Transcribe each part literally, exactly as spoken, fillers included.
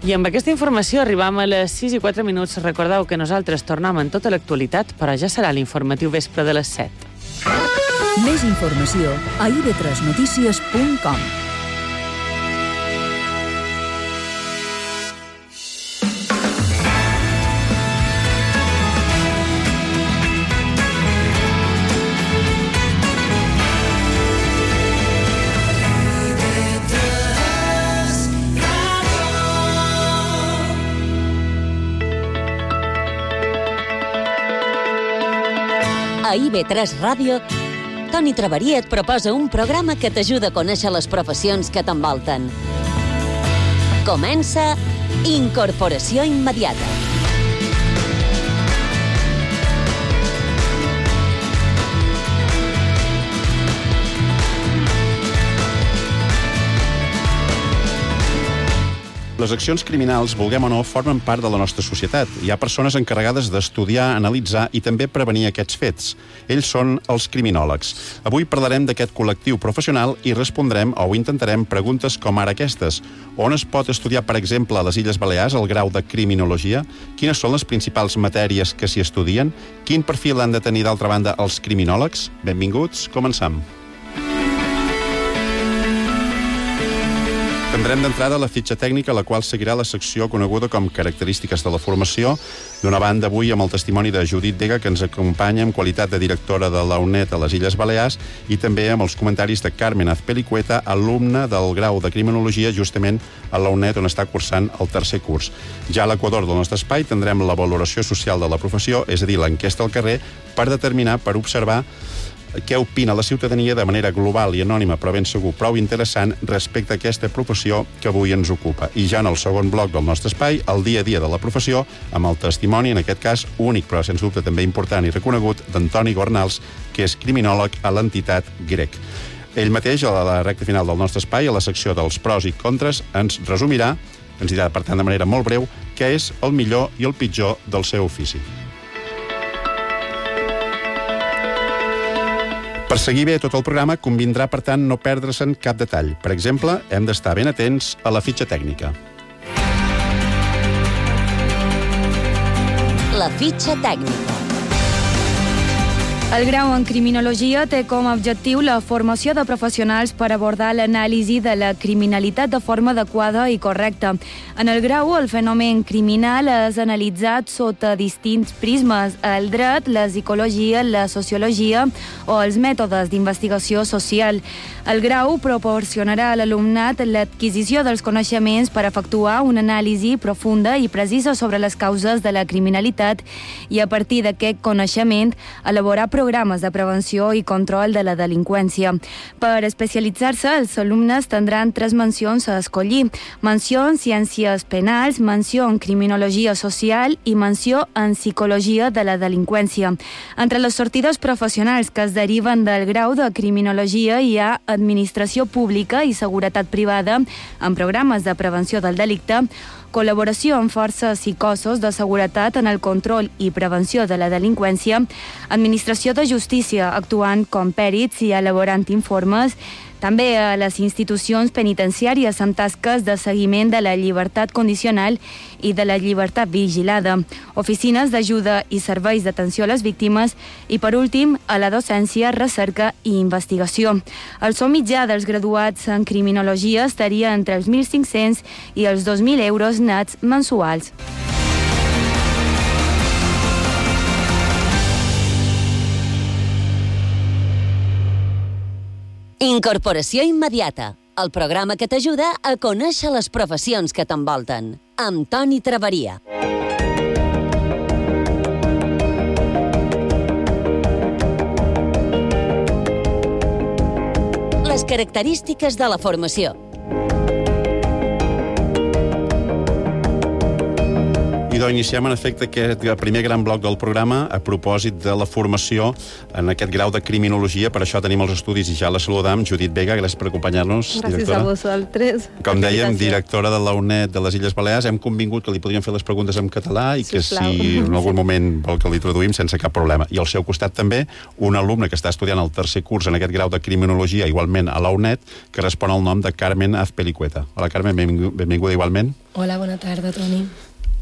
I amb aquesta informació arribam a les sis i quatre minuts. Recordeu que nosaltres tornem en tota l'actualitat, però ja serà l'informatiu vespre de les set. Més informació a i ve tres notícies punt com. A i ve tres Ràdio, Toni Traveria et proposa un programa que t'ajuda a conèixer les professions que t'envolten. Comença Incorporació Immediata. Les accions criminals, vulguem o no, formen part de la nostra societat. Hi ha persones encarregades d'estudiar, analitzar i també prevenir aquests fets. Ells són els criminòlegs. Avui parlarem d'aquest col·lectiu professional i respondrem, o intentarem, preguntes com ara aquestes. On es pot estudiar, per exemple, a les Illes Balears el grau de criminologia? Quines són les principals matèries que s'hi estudien? Quin perfil han de tenir, d'altra banda, els criminòlegs? Benvinguts, començam. Tindrem d'entrada la fitxa tècnica, la qual seguirà la secció coneguda com Característiques de la formació. D'una banda, avui amb el testimoni de Judit Vega, que ens acompanya en qualitat de directora de la U N E D a les Illes Balears, i també amb els comentaris de Carmen Azpilicueta, alumna del grau de Criminologia justament a la U N E D, on està cursant el tercer curs. Ja a l'equador del nostre espai tindrem la valoració social de la professió, és a dir, l'enquesta al carrer, per determinar, per observar què opina la ciutadania de manera global i anònima, però ben segur prou interessant respecte a aquesta professió que avui ens ocupa. I ja en el segon bloc del nostre espai, el dia a dia de la professió, amb el testimoni, en aquest cas únic, però sens dubte també important i reconegut, d'Antoni Gornals, que és criminòleg a l'entitat grec. Ell mateix, a la recta final del nostre espai, a la secció dels pros i contres, ens resumirà, ens dirà, per tant, de manera molt breu, què és el millor i el pitjor del seu ofici. Per seguir bé tot el programa, convindrà, per tant, no perdre-se'n cap detall. Per exemple, hem d'estar ben atents a la fitxa tècnica. La fitxa tècnica. El grau en criminologia té com a objectiu la formació de professionals per abordar l'anàlisi de la criminalitat de forma adequada i correcta. En el grau, el fenomen criminal és analitzat sota distints prismes: el dret, la psicologia, la sociologia o els mètodes d'investigació social. El grau proporcionarà a l'alumnat l'adquisició dels coneixements per efectuar una anàlisi profunda i precisa sobre les causes de la criminalitat i, a partir d'aquest coneixement, elaborar programes de prevenció i control de la delinqüència. Per especialitzar-se, els alumnes tindran tres mencions a escollir: menció en ciències penals, menció en criminologia social i menció en psicologia de la delinqüència. Entre les sortides professionals que es deriven del grau de criminologia hi ha administració pública i seguretat privada en programes de prevenció del delicte, col·laboració amb forces i cossos de seguretat en el control i prevenció de la delinqüència, administració de justícia actuant com pèrits i elaborant informes, també a les institucions penitenciàries amb tasques de seguiment de la llibertat condicional i de la llibertat vigilada, oficines d'ajuda i serveis d'atenció a les víctimes i, per últim, a la docència, recerca i investigació. El sou mitjà dels graduats en criminologia estaria entre els mil cinc-cents i els dos mil euros nets mensuals. Incorporació Immediata, el programa que t'ajuda a conèixer les professions que t'envolten, amb Toni Traveria. Les característiques de la formació. I Idò, iniciem en efecte aquest primer gran bloc del programa a propòsit de la formació en aquest grau de criminologia. Per això tenim els estudis i ja la saludam. Judit Vega, gràcies per acompanyar-nos. Gràcies directora. a vosaltres. Com dèiem, directora de la U N E D de les Illes Balears. Hem convingut que li podríem fer les preguntes en català i que Sisplau. si en algun moment vol que li traduïm sense cap problema. I al seu costat també un alumne que està estudiant el tercer curs en aquest grau de criminologia, igualment a la U N E D, que respon al nom de Carmen Azpilicueta. Hola, Carmen, benvinguda igualment. Hola, bona tarda, Toni.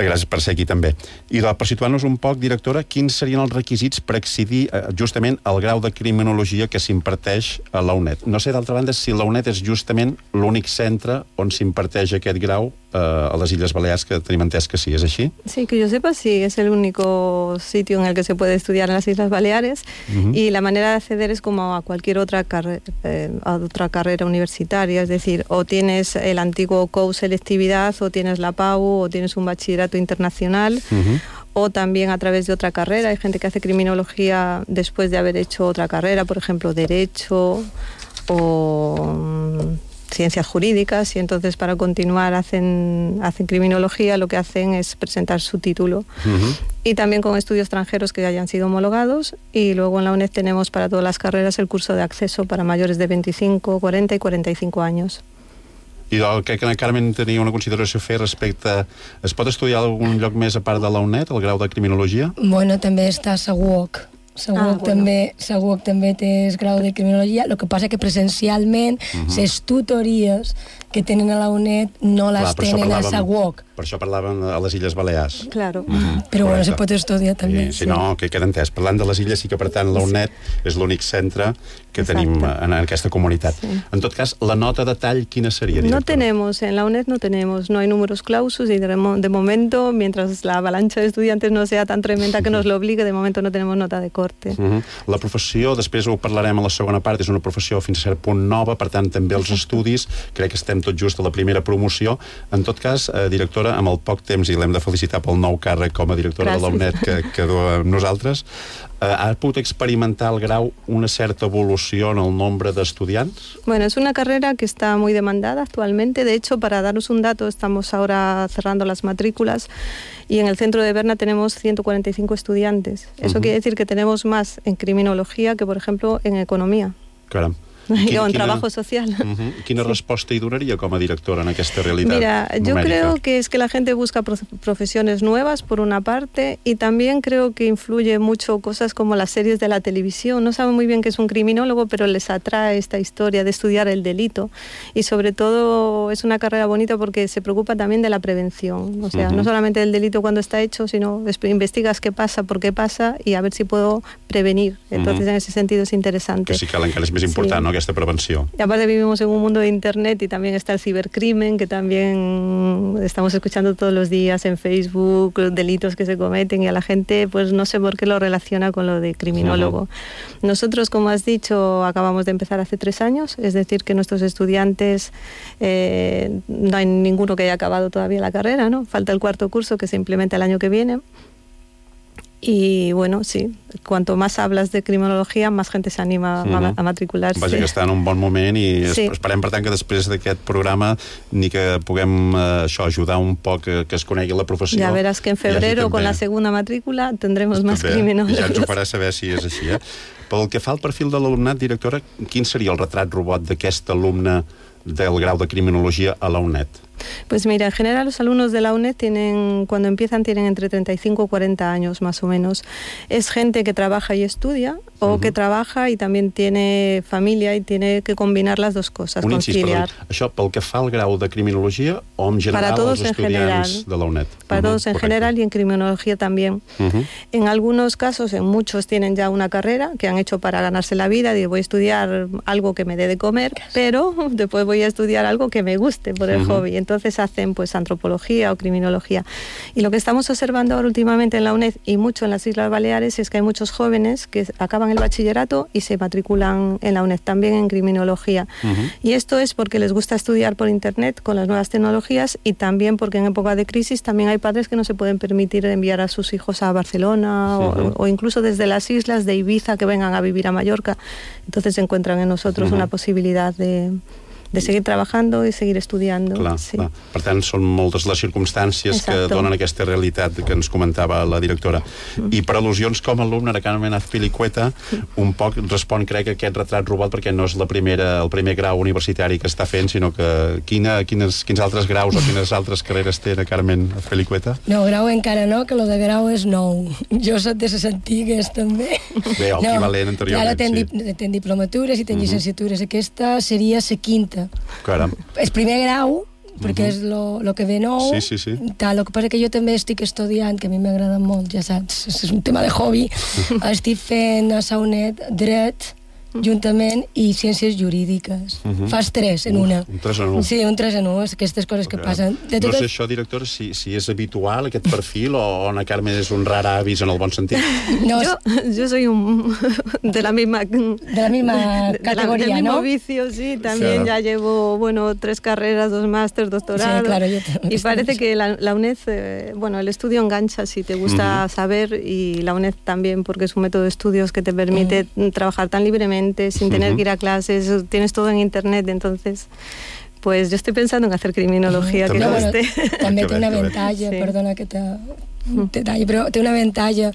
Gràcies per ser aquí també. I per situar-nos un poc, directora, quins serien els requisits per accedir justament al grau de criminologia que s'imparteix a la U N E D? No sé, d'altra banda, si la U N E D és justament l'únic centre on s'imparteix aquest grau eh, a les Illes Balears, que tenim entès que sí, ¿es així? Sí, que yo sepa, sí, es el único sitio en el que se puede estudiar en las Islas Baleares. Uh-huh. Y la manera de acceder es como a cualquier otra, carre eh, a otra carrera universitaria, es decir, o tienes el antiguo C O U selectividad, o tienes la P A U, o tienes un bachillerato internacional, uh-huh. o también a través de otra carrera. Hay gente que hace criminología después de haber hecho otra carrera, por ejemplo, Derecho o um, Ciencias Jurídicas, y entonces para continuar hacen, hacen criminología, lo que hacen es presentar su título. Uh-huh. Y también con estudios extranjeros que hayan sido homologados, y luego en la U N E D tenemos para todas las carreras el curso de acceso para mayores de veinticinco, cuarenta y cuarenta y cinco años. I el que la Carmen tenia una consideració a fer respecte... Es pot estudiar a algun lloc més a part de la U N E D, el grau de criminologia? Bueno, també està a Seguoc. Seguoc, ah, bueno. també, Seguoc també té grau de criminologia. El que passa que presencialment uh-huh. les tutories que tenen a la U N E D no les Clar, tenen a Seguoc. Per això parlàvem a les Illes Balears. Claro. Mm-hmm. Però bueno, se pot estudiar també. I, si sí. no, que queda entès. Parlant de les illes, sí que per tant la U N E D és l'únic centre que Exacte. tenim en aquesta comunitat. Sí. En tot cas, la nota de tall, quina seria, directora? No tenemos, en la U N E D no tenemos, no hay números clausus y de, de momento, mientras la avalancha de estudiantes no sea tan tremenda que nos lo obligue, de momento no tenemos nota de corte. Uh-huh. La professió, després ho parlarem a la segona part, és una professió fins a cert punt nova, per tant també els estudis, crec que estem tot just a la primera promoció. En tot cas, eh, directora, amb el poc temps, i l'hem de felicitar pel nou càrrec com a directora Gràcies. de la U N E D que, que du a nosaltres, eh, ha pogut experimentar el grau una certa evolució en el nombre d'estudiants? Bueno, es una carrera que está muy demandada actualmente. De hecho, para daros un dato, estamos ahora cerrando las matrículas y en el centro de Berna tenemos ciento cuarenta y cinco estudiantes. Eso uh-huh. quiere decir que tenemos más en criminología que, por ejemplo, en economía. Caram. Quin, o en quina, trabajo social. Uh-huh. Quina sí. resposta hi donaria com a directora en aquesta realitat Mira, yo numérica? creo que es que la gente busca pro- profesiones nuevas, por una parte, y también creo que influye mucho cosas como las series de la televisión. No saben muy bien qué es un criminólogo, pero les atrae esta historia de estudiar el delito. Y sobre todo es una carrera bonita porque se preocupa también de la prevención. O sea, uh-huh. no solamente del delito cuando está hecho, sino investigas qué pasa, por qué pasa, y a ver si puedo prevenir. Entonces, uh-huh. en ese sentido es interesante. Que sí que encara és més important, sí. no?, aquesta prevenció. Y aparte vivimos en un mundo de internet y también está el cibercrimen, que también estamos escuchando todos los días en Facebook, los delitos que se cometen, y a la gente pues no sé por qué lo relaciona con lo de criminólogo. Uh-huh. Nosotros, como has dicho, acabamos de empezar hace tres años, es decir, que nuestros estudiantes eh, no hay ninguno que haya acabado todavía la carrera, ¿no? Falta el cuarto curso que se implementa el año que viene. Y bueno, sí, cuanto más hablas de criminologia, más gente se anima uh-huh. a, a matricular-se. Vaja, que està en un bon moment i sí. esperem, per tant, que després d'aquest programa ni que puguem eh, això, ajudar un poc que, que es conegui la professió. Ya verás que en febrero, con la segunda matrícula, tendremos más criminólogos. Ja ens ho farà saber si és així, eh? Pel que fa al perfil de l'alumnat, directora, quin seria el retrat robot d'aquest alumne del grau de criminologia a la U N E D? Pues mira, en general los alumnos de la U N E D tienen, cuando empiezan tienen entre treinta y cinco y cuarenta años más o menos. Es gente que trabaja y estudia, o uh-huh. que trabaja y también tiene familia y tiene que combinar las dos cosas, un incís, conciliar. Perdó, això pel que fa al grau de criminologia o en general Para todos als en general. estudiants de la U N E D? Para uh-huh, todos en correcte. general y en criminología también. Uh-huh. En algunos casos, en muchos tienen ya una carrera que han hecho para ganarse la vida, y voy a estudiar algo que me dé de comer, pero después voy a estudiar algo que me guste por el uh-huh. hobby. Entonces hacen pues antropología o criminología. Y lo que estamos observando ahora últimamente en la U N E D y mucho en las Islas Baleares es que hay muchos jóvenes que acaban el bachillerato y se matriculan en la U N E D también en criminología. Uh-huh. Y esto es porque les gusta estudiar por internet con las nuevas tecnologías, y también porque en época de crisis también hay padres que no se pueden permitir enviar a sus hijos a Barcelona uh-huh. o, o incluso desde las islas de Ibiza que vengan a vivir a Mallorca. Entonces encuentran en nosotros uh-huh. una posibilidad de de seguir trabajando y seguir estudiando. Clar, sí. clar. Per tant, són moltes les circumstàncies Exacto. que donen aquesta realitat que ens comentava la directora. Mm. I per al·lusions com a alumne de Carmen Azpilicueta, un poc respon, crec, a aquest retrat robot, perquè no és la primera, el primer grau universitari que està fent, sinó que quina, quines, quins altres graus o quines altres carreres té la Carmen Azpilicueta? No, grau encara no, que lo de grau és nou. Jo soc de les antigues, també. Bé, el equivalent no, anteriorment, ara ten, sí. Di, ten diplomatures i ten uh-huh. llicenciatures. Aquesta seria la quinta. Caram. És primer grau, perquè uh-huh. és lo, lo que ve nou. Sí, sí, sí. Tal, el que passa que jo també estic estudiant, que a mi m'agrada molt, ja saps, és un tema de hobby. Estic fent a la UNED dret, juntament, i ciències jurídiques. Uh-huh. Fas tres en Uf, una. Un tres en un. Sí, un tres en un, aquestes coses que passen. De no totes... sé això, directora, si, si és habitual aquest perfil o Ana Carmen és un rar avis en el bon sentit. No, yo, yo soy un de la misma de la misma categoría, de la, del ¿no? mismo vicio, sí, también claro. ya llevo, bueno, tres carreras, dos másters, doctorado. Sí, claro, yo y parece que la, la UNED, eh, bueno, el estudio engancha si te gusta uh-huh. saber, y la UNED también, porque es un método de estudios que te permite uh-huh. trabajar tan libremente, sin tener uh-huh. que ir a clases, tienes todo en internet, entonces pues yo estoy pensando en hacer criminología, uh-huh. que no, no bueno, esté. També té una avantatge, sí. Perdona que te... detall, però té una avantatge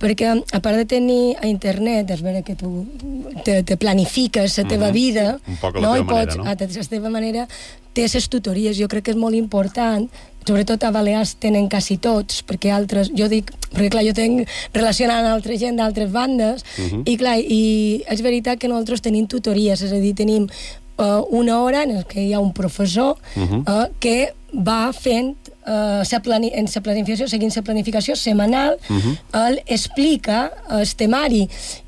perquè a part de tenir a internet, és vera que tu te, te planifiques la teva uh-huh. vida, un poc a la no? teva Pots, manera, no? a la teva manera, té les tutories, jo crec que és molt important, sobretot a Balears tenen quasi tots, perquè altres, jo dic, perquè clar, jo tenc relacionant amb altra gent d'altres bandes, uh-huh. i clar, i és veritat que nosaltres tenim tutories, és a dir, tenim uh, una hora en què hi ha un professor uh-huh. uh, que va fent Uh, sa plani en la planificació, seguint la planificació setmanal, uh-huh. ell explica el temari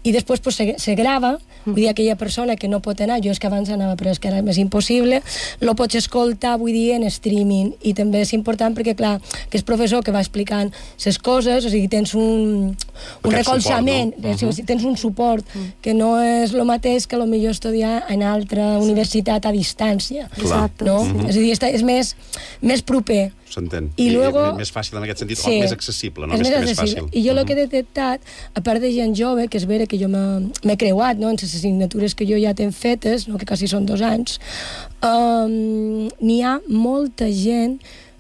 i després pues, se, se grava, uh-huh. vull dir, aquella persona que no pot anar, jo és que abans anava però és que ara és impossible, lo pots escoltar, vull dir, en streaming, i també és important perquè, clar, que és professor que va explicant les coses, o sigui, tens un, un recolzament, suport, no? uh-huh. o sigui, tens un suport, uh-huh. que no és el mateix que potser estudiar en altra sí. universitat a distància. Exacte. No? Uh-huh. És a dir, és més, més proper. S'entén. I, I luego, més fàcil en aquest sentit, sí, o més accessible, no? És més, més, més fàcil. I jo el uh-huh. que he detectat, a part de gent jove, que és vera que jo m'he creuat, no?, en les assignatures que jo ja tenc fetes, no?, que quasi són dos anys, um, n'hi ha molta gent,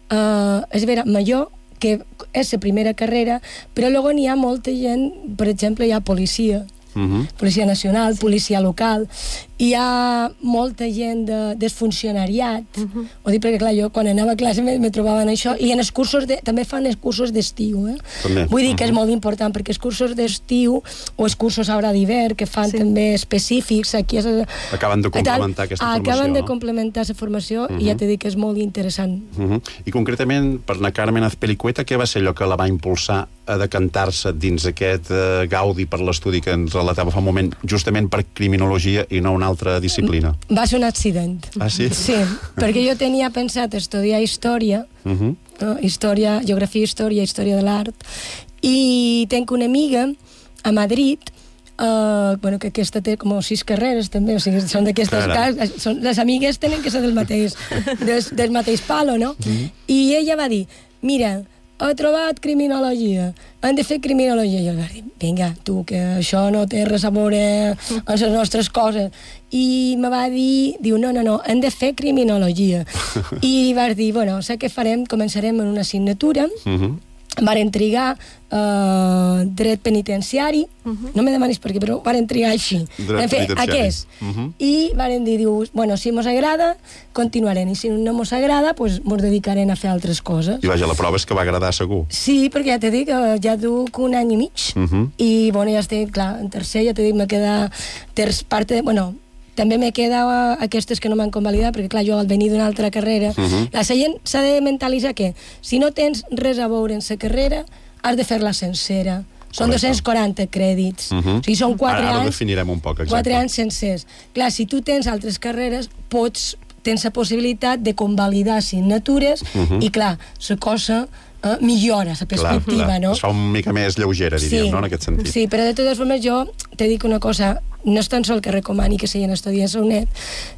uh, és vera, major, que és la primera carrera, però luego n'hi ha molta gent, per exemple, hi ha policia, Uh-huh. policia nacional, sí. policia local, hi ha molta gent de, del funcionariat, uh-huh. ho dic perquè clar, jo quan anava a classe me, me trobava en això, i en els cursos de, també fan els cursos d'estiu, eh? Vull dir que uh-huh. és molt important, perquè els cursos d'estiu o els cursos ara d'hivern que fan sí. també específics, aquí és, acaben de complementar aquesta acaben formació, acaben de no? complementar la formació, uh-huh. i ja t'he dit que és molt interessant. Uh-huh. I concretament, per la Carmen Azpilicueta, què va ser allò que la va impulsar a decantar-se dins aquest uh, gaudi per l'estudi que ens relatava fa un moment, justament per criminologia i no una altra disciplina? Va ser un accident. Ah, sí? Sí, perquè jo tenia pensat estudiar història, uh-huh. no? història, geografia, història, història de l'art, i tenc una amiga a Madrid, Uh, bueno, que aquesta té com sis carreres també, o sigui, són d'aquestes cases, són, les amigues tenen que ser del mateix del, del mateix palo, no? Mm-hmm. I ella va dir, mira, he trobat criminologia, han de fer criminologia. I jo vaig dir, vinga, tu, que això no té res a veure amb les nostres coses. I me va dir, diu, no, no, no, hem de fer criminologia. I vaig dir, bueno, sé què farem, començarem en una assignatura, mm-hmm. varen trigar uh, dret penitenciari, uh-huh. no me demanis per què, però varen trigar així. Dret fer, penitenciari. Aquest. Uh-huh. I varen dir, diu, bueno, si mos agrada, continuarem, i si no mos agrada, pues, mos dedicarem a fer altres coses. I vaja, la prova és que va agradar segur. Sí, perquè ja t'he dit que ja duc un any i mig, uh-huh. i, bueno, ja estic, clar, en tercer, ja t'he dit, me queda terç part de, bueno, també me queda aquestes que no m'han convalidat, perquè clar, jo al venir d'una altra carrera, uh-huh. la gent s'ha de mentalitzar que si no tens res a veure en la carrera, has de fer-la sencera. Són dos-cents quaranta crèdits. Uh-huh. O sigui, són quatre ara, ara anys... Ara definirem un poc, exacte. Quatre anys sencers. Clar, si tu tens altres carreres, pots, tens la possibilitat de convalidar assignatures, uh-huh. i clar, la cosa... Uh, millora la perspectiva, clar, clar. No? Es fa una mica més lleugera, diríem, sí, no?, en aquest sentit. Sí, però de totes formes jo te dic una cosa, no és tan sol que recomani que s'hagin estudiat a U N E D,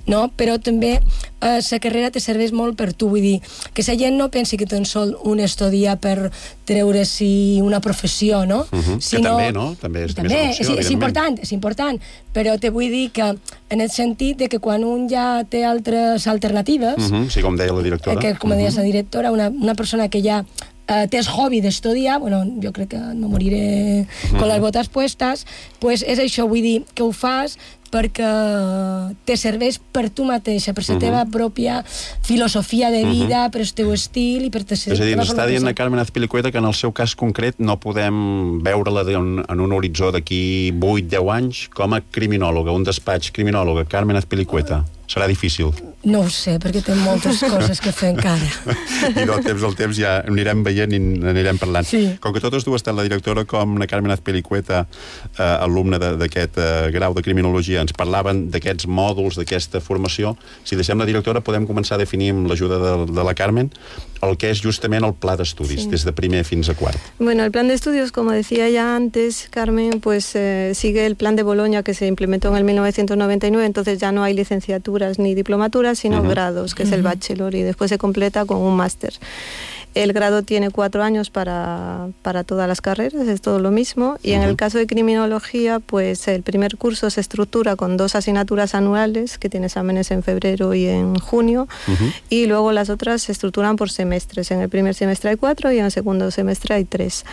no? Però també la eh, carrera te serveix molt per tu, vull dir, que la gent no pensi que tan sol un estudia per treure-s'hi una professió, no? Uh-huh. Sinó, que també, no? També és, també, és una opció, és, és important, és important, però te vull dir que en el sentit de que quan un ja té altres alternatives, uh-huh. sí, com deia la directora, que com deia la directora, una, una persona que ja Uh, té el hobby d'estudiar, bueno, jo crec que no moriré con les botes puestas, pues és això, vull dir, que ho fas perquè te serveix per tu mateixa, per la teva pròpia filosofia de vida, per el teu estil i per te ser... És a dir, ens està dient a Carmen Azpilicueta que en el seu cas concret no podem veure-la en, en un horitzó d'aquí vuit deu anys com a criminòloga, un despatx criminòloga. Carmen Azpilicueta. Serà difícil. No ho sé, perquè té moltes coses que fer encara. I del temps al temps ja anirem veient i anirem parlant. Sí. Com que totes dues, tant la directora com la Carmen Azpilicueta, eh, alumna d'aquest eh, grau de criminologia, ens parlaven d'aquests mòduls, d'aquesta formació. Si deixem la directora, podem començar a definir amb l'ajuda de, de la Carmen el que és justament el pla d'estudis, sí. des de primer fins a quart. Bueno, el plan de estudios, como decía ya antes, Carmen, pues eh, sigue el plan de Bolonia que se implementó en el mil novecientos noventa y nueve, entonces ya no hay licenciaturas ni diplomaturas, sino uh-huh. grados, que uh-huh. es el bachelor, y después se completa con un máster. El grado tiene cuatro años para, para todas las carreras, es todo lo mismo. Y uh-huh. en el caso de criminología, pues el primer curso se estructura con dos asignaturas anuales, que tiene exámenes en febrero y en junio, uh-huh. y luego las otras se estructuran por semestres. En el primer semestre hay cuatro y en el segundo semestre hay tres.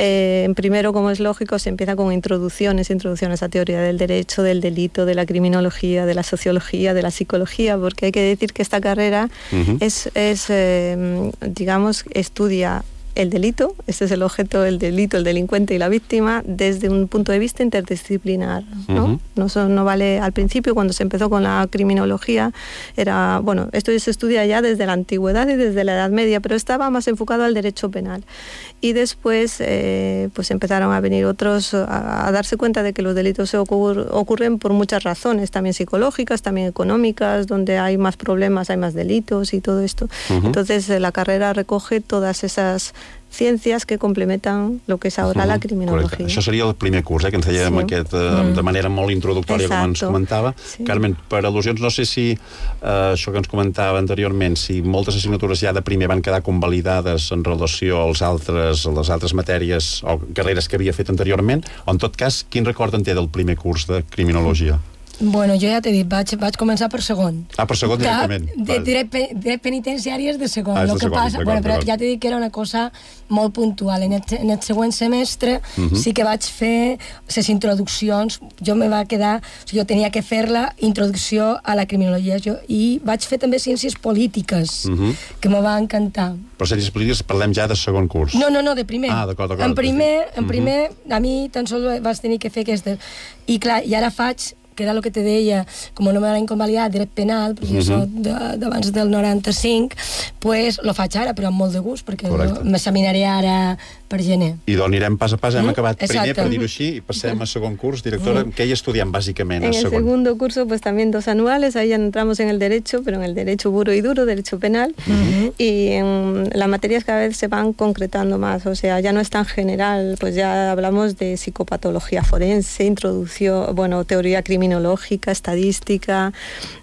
Eh, en primero, como es lógico, se empieza con introducciones, introducciones a teoría del derecho, del delito, de la criminología, de la sociología, de la psicología, porque hay que decir que esta carrera uh-huh. es, es eh, digamos, estudia el delito, este es el objeto, el delito, el delincuente y la víctima, desde un punto de vista interdisciplinar, ¿no? Uh-huh. No, so, no vale, al principio, cuando se empezó con la criminología, era, bueno, esto se estudia ya desde la antigüedad y desde la Edad Media, pero estaba más enfocado al derecho penal. Y después, eh, pues empezaron a venir otros a, a darse cuenta de que los delitos se ocurr, ocurren por muchas razones, también psicológicas, también económicas, donde hay más problemas, hay más delitos y todo esto. Uh-huh. Entonces, eh, la carrera recoge todas esas ciències que complementen el que és ara uh-huh. la criminologia. Correcte. Això seria el primer curs, eh, que ens dèiem sí. aquest, eh, de manera molt introductòria, Exacto. com ens comentava. Sí. Carmen, per al·lusions, no sé si eh, això que ens comentava anteriorment, si moltes assignatures ja de primer van quedar convalidades en relació als altres, a les altres matèries o carreres que havia fet anteriorment, o en tot cas, quin record en té del primer curs de criminologia? Bueno, jo ja t'he dit, vaig, vaig començar per segon. Ah, per segon directament. De, dret, dret penitenciari és de segon. Ah, és de de segon, passa, bueno, però ja t'he dit que era una cosa molt puntual. En el, en el següent semestre uh-huh. sí que vaig fer les introduccions. Jo me va quedar... O sigui, jo tenia que fer la introducció a la criminologia. Jo, I vaig fer també ciències polítiques, uh-huh. que me va encantar. Però ciències polítiques parlem ja de segon curs. No, no, no, de primer. Ah, d'acord, d'acord. En primer, en primer uh-huh. a mi tan sols vaig tenir que fer aquestes. I clar, i ara faig que era el que te deia, com no me l'han convalidat dret penal, perquè uh-huh. jo soc d'abans del noranta-cinc, pues lo faig ara, però amb molt de gust, perquè m'examinaré ara per gener. I doncs anirem pas a pas, hem mm-hmm. acabat Exacto. primer, per dir-ho així, i passem a segon curs. Directora, mm-hmm. ¿qué hay estudiant básicamente en el segon? segundo curso, pues también dos anuales, ahí entramos en el derecho, pero en el derecho puro y duro, derecho penal, mm-hmm. y en las materias cada vez se van concretando más, o sea, ya no es tan general, pues ya hablamos de psicopatología forense, introducción, bueno, teoría criminológica, estadística.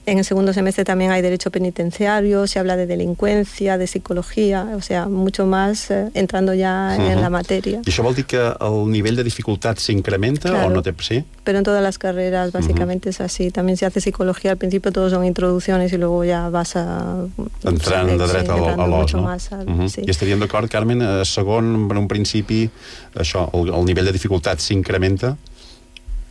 En el segundo semestre también hay derecho penitenciario, se habla de delincuencia, de psicología, o sea, mucho más eh, entrando ya uh-huh. en la materia. ¿Y això vol dir que el nivell de dificultat s'incrementa claro, o no te... sí? Pero en todas las carreras básicamente uh-huh. es así. También se hace psicología, al principio todos son introducciones y luego ya vas a... Entrant de dret sí, a l'os, no? Más al, uh-huh. sí. I estaríem d'acord, Carmen, eh, segon, en un principi, això, el, el nivell de dificultat s'incrementa?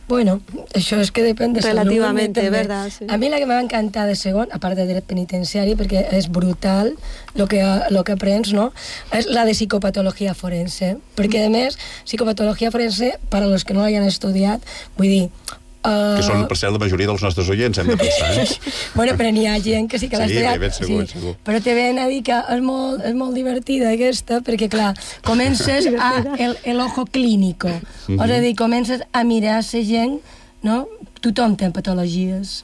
Bueno, això és que depèn de Relativamente, salut, verdad, sí. A mi la que m'ha encantat de segon, a part de dret penitenciari, perquè és brutal lo que, lo que aprens, no? És la de psicopatologia forense. Perquè, a més, psicopatologia forense, per a los que no l'hayan estudiat, vull dir... Uh... Que són, per cert, la majoria dels nostres oients, hem de pensar, eh? Bueno, però n'hi ha gent que sí que l'ha sí, estudiat. Ben segur, sí. segur. Però te ven a dir que és molt, és molt divertida aquesta, perquè, clar, comences a el, el ojo clínico. Mm-hmm. És a dir, comences a mirar la gent, no? Tothom té patologies.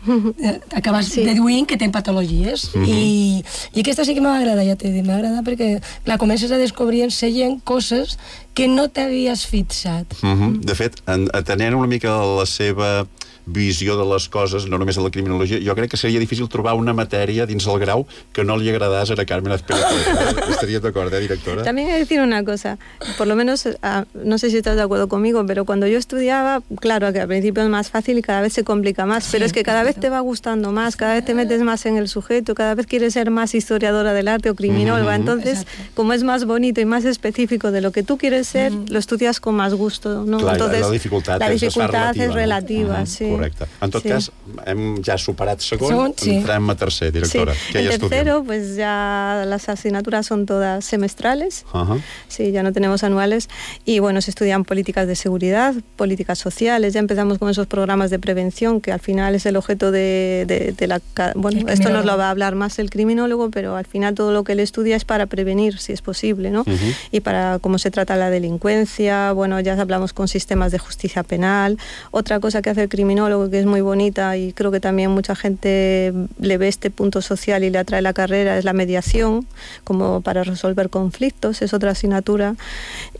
Acabes sí. deduint que té patologies. Mm-hmm. I, I aquesta sí que m'agrada, ja t'he dit, m'agrada perquè, clar, comences a descobrir en la gent coses que no t'havies fixat. Mm-hmm. De fet, atenent una mica la seva visió de les coses, no només de la criminologia. Jo crec que seria difícil trobar una matèria dins el grau que no li agradàs a la Carmen Azpilicueta. Estarías de acuerdo, ¿eh, directora? También hay que decir una cosa, por lo menos, no sé si estás de acuerdo conmigo, pero cuando yo estudiaba, claro que al principio es más fácil y cada vez se complica más, sí, pero es que cada vez te va gustando más, cada vez te metes más en el sujeto, cada vez quieres ser más historiadora del arte o criminóloga, uh-huh. Entonces, exacto. Como es más bonito y más específico de lo que tú quieres ser, uh-huh. Lo estudias con más gusto, ¿no? Clar, entonces, la dificultat, la dificultat és relativa, és relativa, no? sí. Correcte. En tot sí. cas, hem ja superat segon, segon sí. Entrem a tercer, directora. Sí. ¿Qué en hay tercero, pues ya las asignaturas son todas semestrales, uh-huh. Sí, ya no tenemos anuales, y bueno, se estudian políticas de seguridad, políticas sociales, ya empezamos con esos programas de prevención, que al final es el objeto de, de, de la... Bueno, esto nos lo va a hablar más el criminólogo, pero al final todo lo que él estudia es para prevenir, si es posible, ¿no? Uh-huh. Y para cómo se trata la delincuencia, bueno, ya hablamos con sistemas de justicia penal. Otra cosa que hace el criminólogo, que es muy bonita, y creo que también mucha gente le ve este punto social y le atrae la carrera, es la mediación, como para resolver conflictos, es otra asignatura.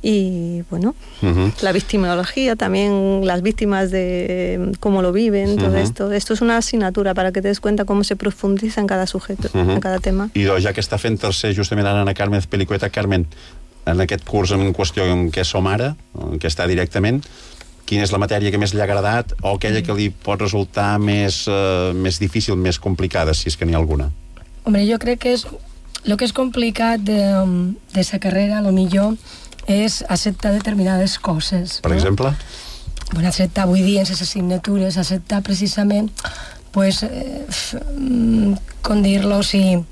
Y bueno, uh-huh. La victimología, también las víctimas de cómo lo viven, todo uh-huh. esto. Esto es una asignatura para que te des cuenta cómo se profundiza en cada sujeto, uh-huh. En cada tema. I doncs, ja que està fent tercer justament ara Ana Carmen Azpilicueta, Carmen, en aquest curs en qüestió en què som ara, en què està directament, quina és la matèria que més li ha agradat o aquella que li pot resultar més, uh, més difícil, més complicada, si és que n'hi ha alguna? Hombre, jo crec que és el que és complicat de, de sa carrera, a lo millor, és acceptar determinades coses. Per no? exemple? Bueno, acceptar, vull dir, en les assignatures, acceptar precisament, pues, eh, com dir-lo, o sigui,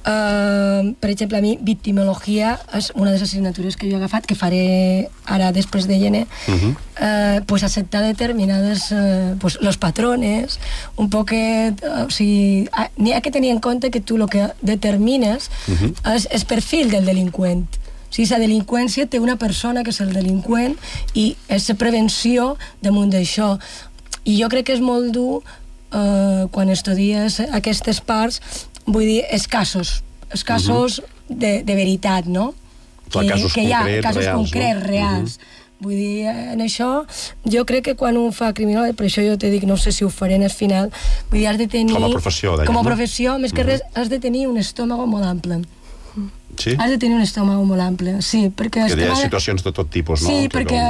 Uh, per exemple, a mi victimologia és una de les assignatures que jo he agafat, que faré ara després de gener, uh-huh. uh, pues acceptar determinades uh, pues los patrones, un poquet, uh, o sigui, uh, n'hi ha que tenir en compte que tu el que determines uh-huh. és el perfil del delinqüent. O sigui, la delinqüència té una persona que és el delinqüent i és la prevenció damunt d'això. I jo crec que és molt dur uh, quan estudies aquestes parts, vull dir, escassos, escassos uh-huh. de, de veritat, no? Clar, que, casos que hi ha concrets, casos reals, concrets, no? reals. Uh-huh. Vull dir, en això, jo crec que quan un fa criminal, per això jo te dic, no sé si ho faré en el final, vull dir, has de tenir... Com a professió, dèiem, Com a no? professió, més que uh-huh. res, has de tenir un estómago molt ample. Sí? Has de tenir un estómago molt ample, sí, perquè... Que hi ha situacions de tot tipus, no? Sí, que perquè,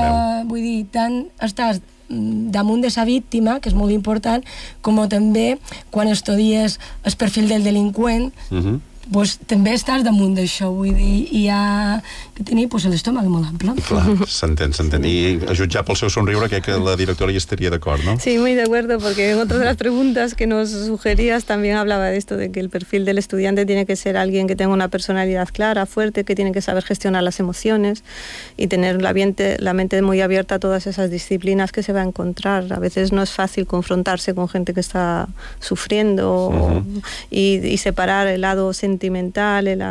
vull dir, tant estàs damunt de sa víctima, que és molt important, com també quan estudies el perfil del delinqüent, uh-huh. pues, també estàs damunt d'això, vull dir, i hi ha que tenir pues, l'estómac molt ample. Clar, s'entén, s'entén. I a jutjar pel seu somriure, crec que la directora hi estaria d'acord, ¿no? Sí, muy de acuerdo, porque en otra de las preguntas que nos sugerías también hablaba de esto, de que el perfil del estudiante tiene que ser alguien que tenga una personalidad clara, fuerte, que tiene que saber gestionar las emociones y tener la mente, la mente muy abierta a todas esas disciplinas que se va a encontrar. A veces no es fácil confrontarse con gente que está sufriendo uh-huh. y, y separar el lado sentimental, el,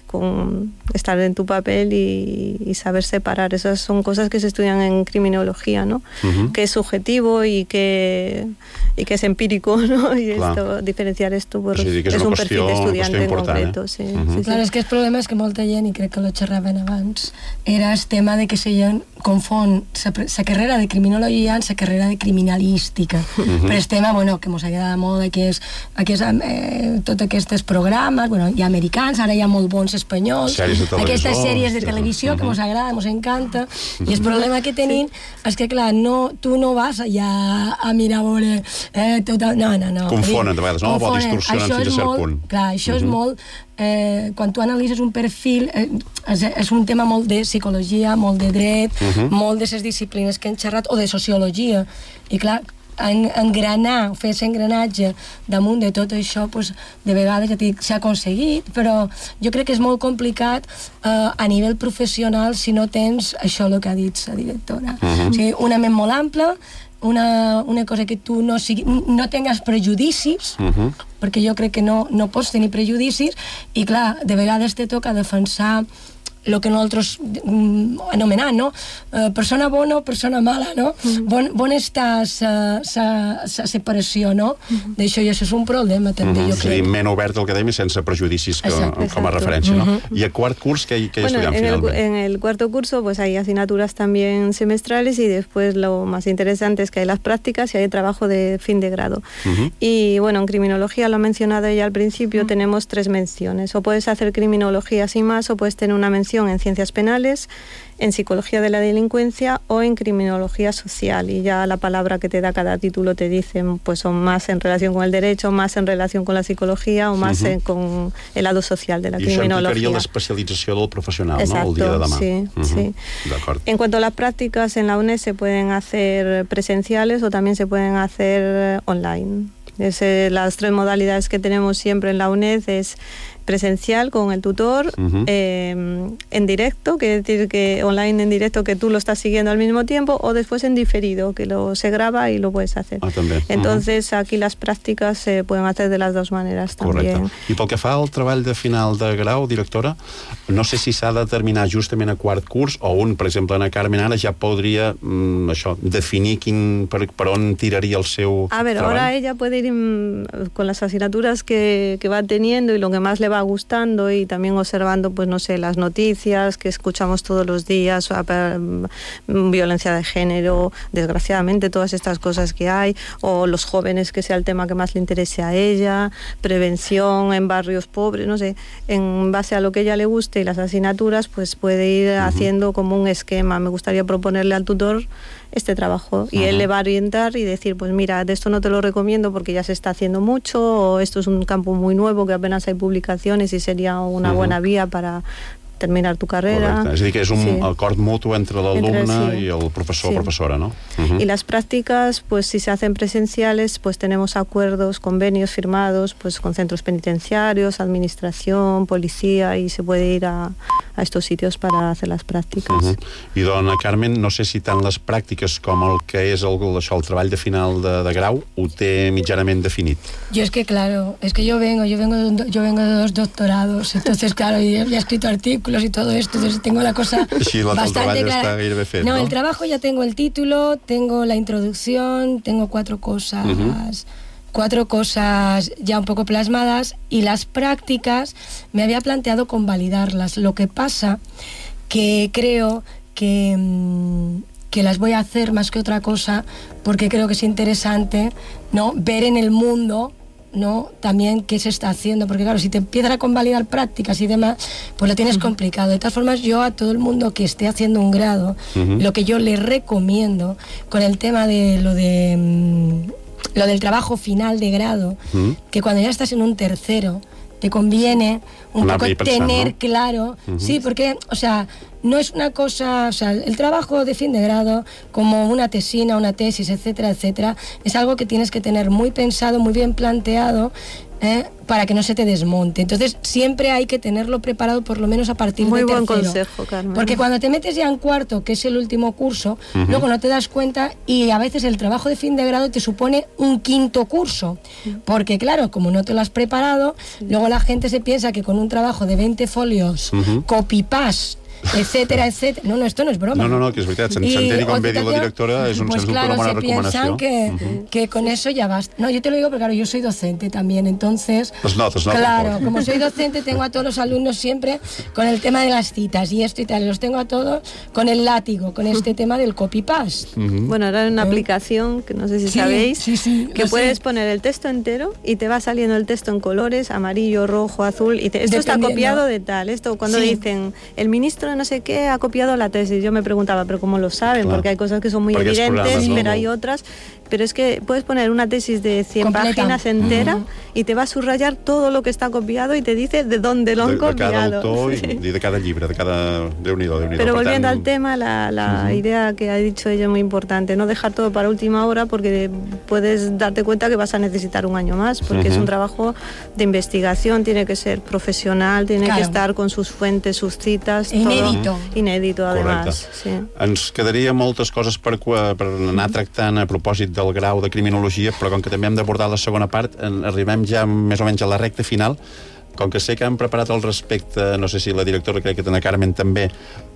con estar en tu papel y, y saber separar. Esas son cosas que se estudian en criminología, ¿no? Uh-huh. Que es subjetivo y que, y que es empírico, ¿no? Y esto, diferenciar esto pues, sí, es, es un perfil de estudiante en concreto. Eh? Sí, uh-huh. sí, clar, sí. és que el problema és que molta gent, i crec que lo xerraven abans, era el tema de que la gent confon la carrera de criminologia amb la carrera de criminalística. Uh-huh. Però el tema, bueno, que mos agrada molt, que és, que és eh, tots aquests programes, bueno, hi ha americans, ara hi ha molt bons espanyols, aquestes sèries de televisió que mos agrada, mos encanta, i el problema que tenim és que, clar, no, tu no vas allà a mirar a veure... Eh, tot, no, no, no. Confonen, de vegades, no? O distorsionen fins a cert punt. Clar, això és molt... Eh, quan tu analitzes un perfil, eh, és, és un tema molt de psicologia, molt de dret, uh-huh. molt de les disciplines que hem xerrat, o de sociologia. I clar, en, engranar, fer aquest engranatge damunt de tot això, pues, de vegades ja dic, s'ha aconseguit, però jo crec que és molt complicat eh, a nivell professional si no tens això el que ha dit la directora. Uh-huh. O sigui, una ment molt ampla, una, una cosa que tu no, sigui, no tingues prejudicis, uh-huh. perquè jo crec que no, no pots tenir prejudicis, i clar, de vegades te toca defensar el que nosaltres mm, anomenem, no? Uh, persona bona o persona mala, no? Mm. Bon, bon està la separació, no? Mm. D'això, i això és un problema, també, mm -hmm. jo crec. És a dir, ment obert al que dèiem i sense prejudicis que, exacte, com a referència, ¿no? Mm -hmm. I a quart curs, què, què bueno, estudiam en finalment? El, en el cuarto curso pues hay asignaturas también semestrales y después lo más interesante es que hay las prácticas y hay trabajo de fin de grado. Uh-huh. Y bueno, en criminología, lo ha mencionado ella al principio, uh-huh. tenemos tres menciones. O puedes hacer criminología sin más, o puedes tener una mención en ciencias penales, en psicología de la delincuencia o en criminología social. Y ya la palabra que te da cada título te dicen, pues son más en relación con el derecho, más en relación con la psicología o más uh-huh. en, con el lado social de la I criminología. I això implicaria l'especialització del professional, exacto, no?, el dia de demà. Sí, uh-huh. sí. D'acord. En cuanto a las prácticas, en la U N E D se pueden hacer presenciales o también se pueden hacer online. Es, eh, las tres modalidades que tenemos siempre en la U N E D es presencial con el tutor, uh-huh. eh, en directo, quiere decir que online en directo, que tú lo estás siguiendo al mismo tiempo, o después en diferido, que lo se graba y lo puedes hacer. Ah, també. Entonces, uh-huh. aquí las prácticas se pueden hacer de las dos maneras también. Correcte. I pel que fa al treball de final de grau, directora, no sé si s'ha de terminar justament a quart curs, o un, per exemple, Ana Carmen, ara ja podria mm, això, definir quin, per, per on tiraria el seu A ver, treball. ahora ella puede ir mm, con las asignaturas que, que va teniendo y lo que más le va gustando, y también observando, pues no sé, las noticias que escuchamos todos los días, violencia de género, desgraciadamente todas estas cosas que hay, o los jóvenes, que sea el tema que más le interese a ella, prevención en barrios pobres, no sé, en base a lo que a ella le guste y las asignaturas, pues puede ir uh-huh. haciendo como un esquema. Me gustaría proponerle al tutor este trabajo y uh-huh. él le va a orientar y decir, pues mira, de esto no te lo recomiendo porque ya se está haciendo mucho, o esto es un campo muy nuevo que apenas hay publicaciones y sería una uh-huh. buena vía para terminar tu carrera. Correcte. És a dir, que és un sí. acord mutu entre l'alumne sí. y el profesor o sí. profesora, ¿no? Uh-huh. Y las prácticas, pues si se hacen presenciales, pues tenemos acuerdos, convenios firmados, pues con centros penitenciarios, administración, policía, y se puede ir a, a estos sitios para hacer las prácticas. Uh-huh. I dona Carmen, no sé si tant les pràctiques com el que és el, això, el treball de final de, de grau ho té mitjanament definit. Yo es que, claro, es que yo vengo, yo vengo de, yo vengo de dos doctorados, entonces, claro, yo ya he escrito artículos y todo esto, entonces tengo la cosa sí, la, bastante el clara. Està gairebé fet, no, no, el trabajo ya tengo el título, tengo la introducción, tengo cuatro cosas, uh-huh. cuatro cosas ya un poco plasmadas, y las prácticas me había planteado convalidarlas. Lo que pasa que creo que, que las voy a hacer más que otra cosa porque creo que es interesante, ¿no?, ver en el mundo, ¿no?, también qué se está haciendo, porque claro, si te empiezan a convalidar prácticas y demás, pues lo tienes uh-huh. complicado. De todas formas, yo a todo el mundo que esté haciendo un grado, uh-huh. lo que yo le recomiendo con el tema de lo de mmm, lo del trabajo final de grado, uh-huh. que cuando ya estás en un tercero, te conviene un una poco pensant, tener ¿no? claro, uh-huh. sí, porque, o sea, no es una cosa, o sea, el trabajo de fin de grado, como una tesina, una tesis, etcétera, etcétera, es algo que tienes que tener muy pensado, muy bien planteado, ¿eh?, para que no se te desmonte. Entonces, siempre hay que tenerlo preparado por lo menos a partir muy de tercero. Muy buen consejo, Carmen. Porque cuando te metes ya en cuarto, que es el último curso, uh-huh. luego no te das cuenta, y a veces el trabajo de fin de grado te supone un quinto curso. Porque, claro, como no te lo has preparado, sí. luego la gente se piensa que con un trabajo de veinte folios, uh-huh. copy-paste, etcétera, etcétera. No, no, esto no es broma. No, no, no, que és veritat. S'entén com bé diu la directora, és un, pues sens claro, una bona se recomanació. piensan que, uh-huh. que con eso ya basta. No, yo te lo digo porque, claro, yo soy docente también, entonces... Pues no, pues no, claro, como soy docente, tengo a todos los alumnos siempre con el tema de las citas y esto y tal. Los tengo a todos con el látigo, con este tema del copy-paste. Uh-huh. Bueno, ahora hay una ¿Eh? aplicación, que no sé si sí, sabéis, sí, sí, que puedes sé. poner el texto entero y te va saliendo el texto en colores, amarillo, rojo, azul, y te, esto está copiado de tal. Esto cuando sí. dicen, el ministro de no sé qué ha copiado la tesis, yo me preguntaba, pero ¿cómo lo saben? Claro. Porque hay cosas que son muy Porque evidentes, pero hay otras. Pero es que puedes poner una tesis de cien Completa. páginas entera uh-huh. y te va a subrayar todo lo que está copiado y te dice de dónde lo han de, copiado. De cada autor sí. y de cada llibre, de cada... Déu-n'hi-do, Déu-n'hi-do. Pero per volviendo tant... al tema, la, la uh-huh. idea que ha dicho ella es muy importante, no dejar todo para última hora porque puedes darte cuenta que vas a necesitar un año más, porque uh-huh. es un trabajo de investigación, tiene que ser profesional, tiene claro. que estar con sus fuentes, sus citas, inédito. Todo inédito, además. Sí. Ens quedaria moltes coses per, per anar tractant a propòsit del grau de criminologia, però com que també hem d'abordar la segona part, arribem ja més o menys a la recta final. Com que sé que han preparat al respecte, no sé si la directora, crec que Ana Carmen també,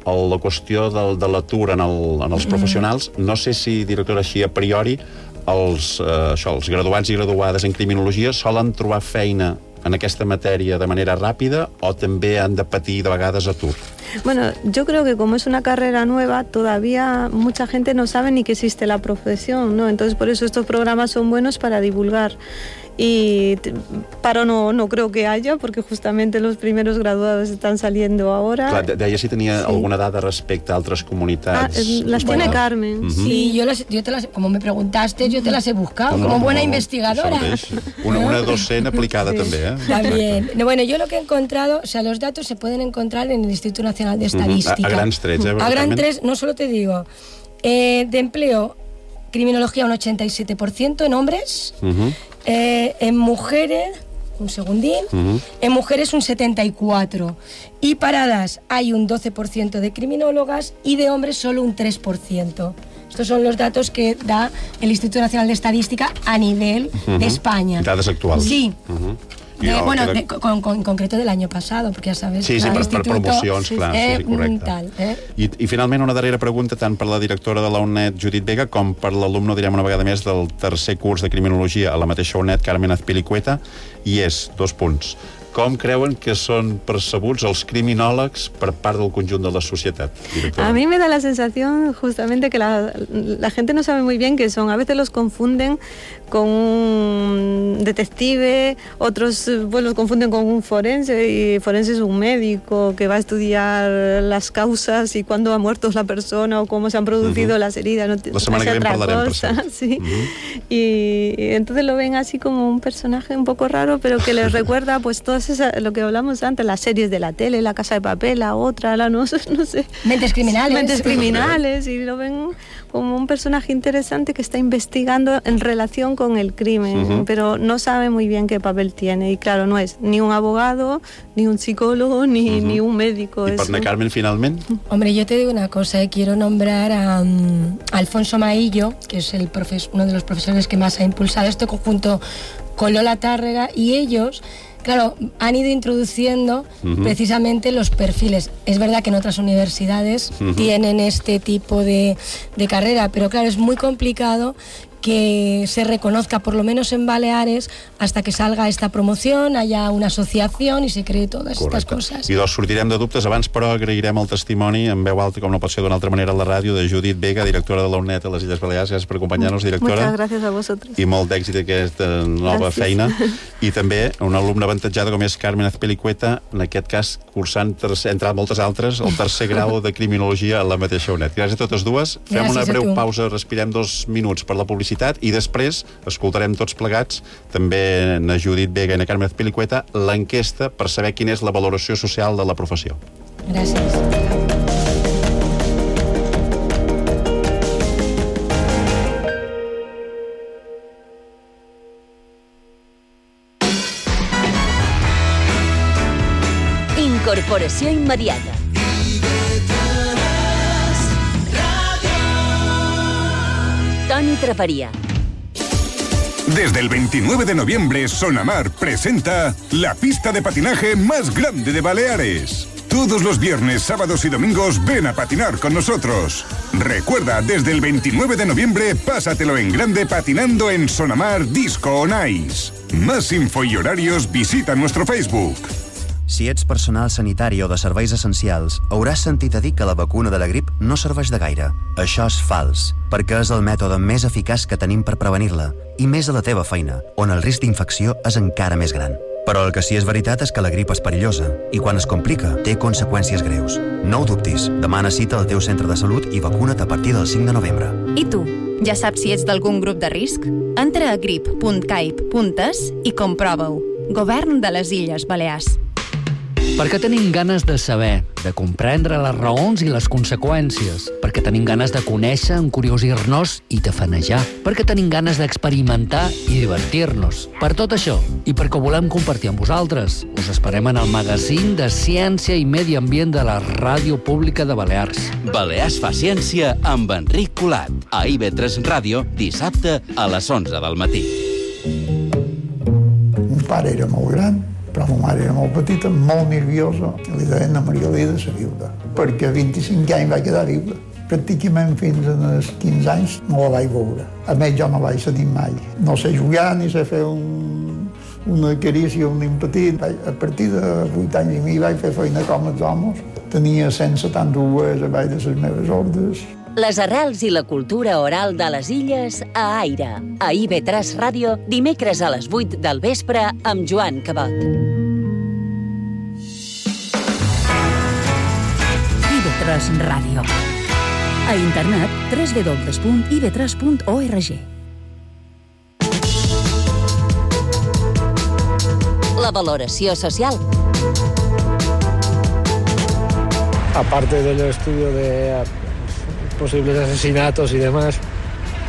el, la qüestió del, de l'atur en, el, en els professionals, no sé si, directora, així a priori, els, eh, això, els graduats i graduades en criminologia solen trobar feina en aquesta matèria de manera ràpida o també han de patir de vegades atur? Bueno, yo creo que como es una carrera nueva, todavía mucha gente no sabe ni que existe la profesión, ¿no? Entonces, por eso estos programas son buenos para divulgar. Y paro no, no creo que haya, porque justamente los primeros graduados están saliendo ahora. Clar, deia si tenia sí. alguna dada respecte a altres comunitats. Ah, las bueno, tiene Carmen. Uh-huh. Sí, yo, las, yo te las, como me preguntaste, yo te las he buscado, no, como buena no, investigadora. Una, una docena aplicada sí. també, ¿eh? También. Bueno, yo lo que he encontrado, o sea, los datos se pueden encontrar en el Instituto Nacional de Estadística. Uh-huh. A, a grans trets, ¿eh? A gran tres, no solo te digo, eh, de empleo, criminología un ochenta y siete por ciento en hombres, uh-huh. eh, en mujeres, un segundín, uh-huh. en mujeres un setenta y cuatro por ciento, y paradas hay un doce por ciento de criminólogas y de hombres solo un tres por ciento. Estos son los datos que da el Instituto Nacional de Estadística a nivel uh-huh. de España. Datos actuales. Sí. Uh-huh. De, no, bueno, de, con, con, en concreto del año pasado, perquè ja sabes... Sí, sí, per, per promocions, sí, clar, eh, sí, correcte. Tal, eh? I, I finalment una darrera pregunta tant per la directora de la U N E D, Judit Vega, com per l'alumne, direm una vegada més, del tercer curs de Criminologia a la mateixa U N E D, Carmen Azpilicueta, i és, dos punts, com creuen que son percebuts els criminòlegs per part del conjunt de la societat, directora? A mí me da la sensación justamente que la, la gente no sabe muy bien qué son. A veces los confunden con un detective, otros pues, los confunden con un forense, y forense es un médico que va a estudiar las causas y cuándo ha muerto la persona o cómo se han producido uh-huh. las heridas. No, la semana que viene hablarem, per cert. Sí. Uh-huh. y, y entonces lo ven así como un personaje un poco raro, pero que les recuerda pues todas esas, lo que hablamos antes, las series de la tele, La Casa de Papel, la otra, la no, no sé. Mentes criminales. Mentes criminales, y lo ven como un personaje interesante que está investigando en relación con el crimen, uh-huh. pero no sabe muy bien qué papel tiene. Y claro, no es ni un abogado, ni un psicólogo, ni, uh-huh. ni un médico. ¿Y por Ana Carmen, finalmente? Hombre, yo te digo una cosa, eh, quiero nombrar a um, Alfonso Maillo, que es el profes- uno de los profesores que más ha impulsado este conjunto con Lola Tárrega, y ellos... Claro, han ido introduciendo uh-huh. precisamente los perfiles. Es verdad que en otras universidades uh-huh. tienen este tipo de, de carrera, pero claro, es muy complicado que se reconozca, por lo menos en Baleares, hasta que salga esta promoción, haya una asociación i se cree totes aquestes coses. I doncs sortirem de dubtes. Abans, però, agrairem el testimoni en veu alta, com no pot ser d'una altra manera, a la ràdio, de Judit Vega, directora de la U N E D a les Illes Balears. Gràcies per acompanyar-nos, directora. Muchas gracias a vosotros. I molt d'èxit aquesta nova gràcies. Feina. I també una alumna avantatjada com és Carmen Azpilicueta, en aquest cas cursant, tercer, entre moltes altres, el tercer grau de Criminologia a la mateixa U N E D. Gràcies a totes dues. Fem gràcies una breu pausa, respirem dos minuts per la publicitat i després escoltarem tots plegats, també na Judit Vega i na Carmen Azpilicueta, l'enquesta per saber quina és la valoració social de la professió. Gràcies. Incorporació immediata. Toni Traparia. Desde el veintinueve de noviembre, Sonamar presenta la pista de patinaje más grande de Baleares. Todos los viernes, sábados y domingos ven a patinar con nosotros. Recuerda, desde el veintinueve de noviembre, pásatelo en grande patinando en Sonamar Disco on Ice. Más info y horarios, visita nuestro Facebook. Si ets personal sanitari o de serveis essencials, hauràs sentit a dir que la vacuna de la grip no serveix de gaire. Això és fals, perquè és el mètode més eficaç que tenim per prevenir-la, i més a la teva feina, on el risc d'infecció és encara més gran. Però el que sí és veritat és que la grip és perillosa, i quan es complica, té conseqüències greus. No ho dubtis, demana cita al teu centre de salut i vacuna't a partir del cinc de novembre. I tu, ja saps si ets d'algun grup de risc? Entra a grip punt caip punt es i comprova-ho. Govern de les Illes Balears. Perquè tenim ganes de saber, de comprendre les raons i les conseqüències, perquè tenim ganes de conèixer, encuriosir-nos i tafanejar, perquè tenim ganes d'experimentar i divertir-nos. Per tot això, i perquè ho volem compartir amb vosaltres, us esperem en el magazín de Ciència i Medi Ambient de la Ràdio Pública de Balears. Balears fa ciència amb Enric Colat, a I V tres Ràdio, dissabte a les onze del matí. Mon pare era molt gran, però la mare era molt petita, molt nerviosa, i li deien a Maria Lida la viuda, perquè a vint-i-cinc anys va quedar viuda. Pràcticament fins als quinze anys no la vaig veure. A més, jo no vaig sentir mai. No sé jugar ni sé fer un, una carícia, un impetit. A partir de vuit anys i mi vaig fer feina com els homes. Tenia cent setanta-dos a baix de les meves ordres. Les arrels i la cultura oral de les Illes a Aire. A I V tres Ràdio, dimecres a les vuit del vespre amb Joan Cabot. I V tres Ràdio. A internet, w w w punt i v tres punt org. La valoració social. Aparte del estudio de posibles asesinatos y demás,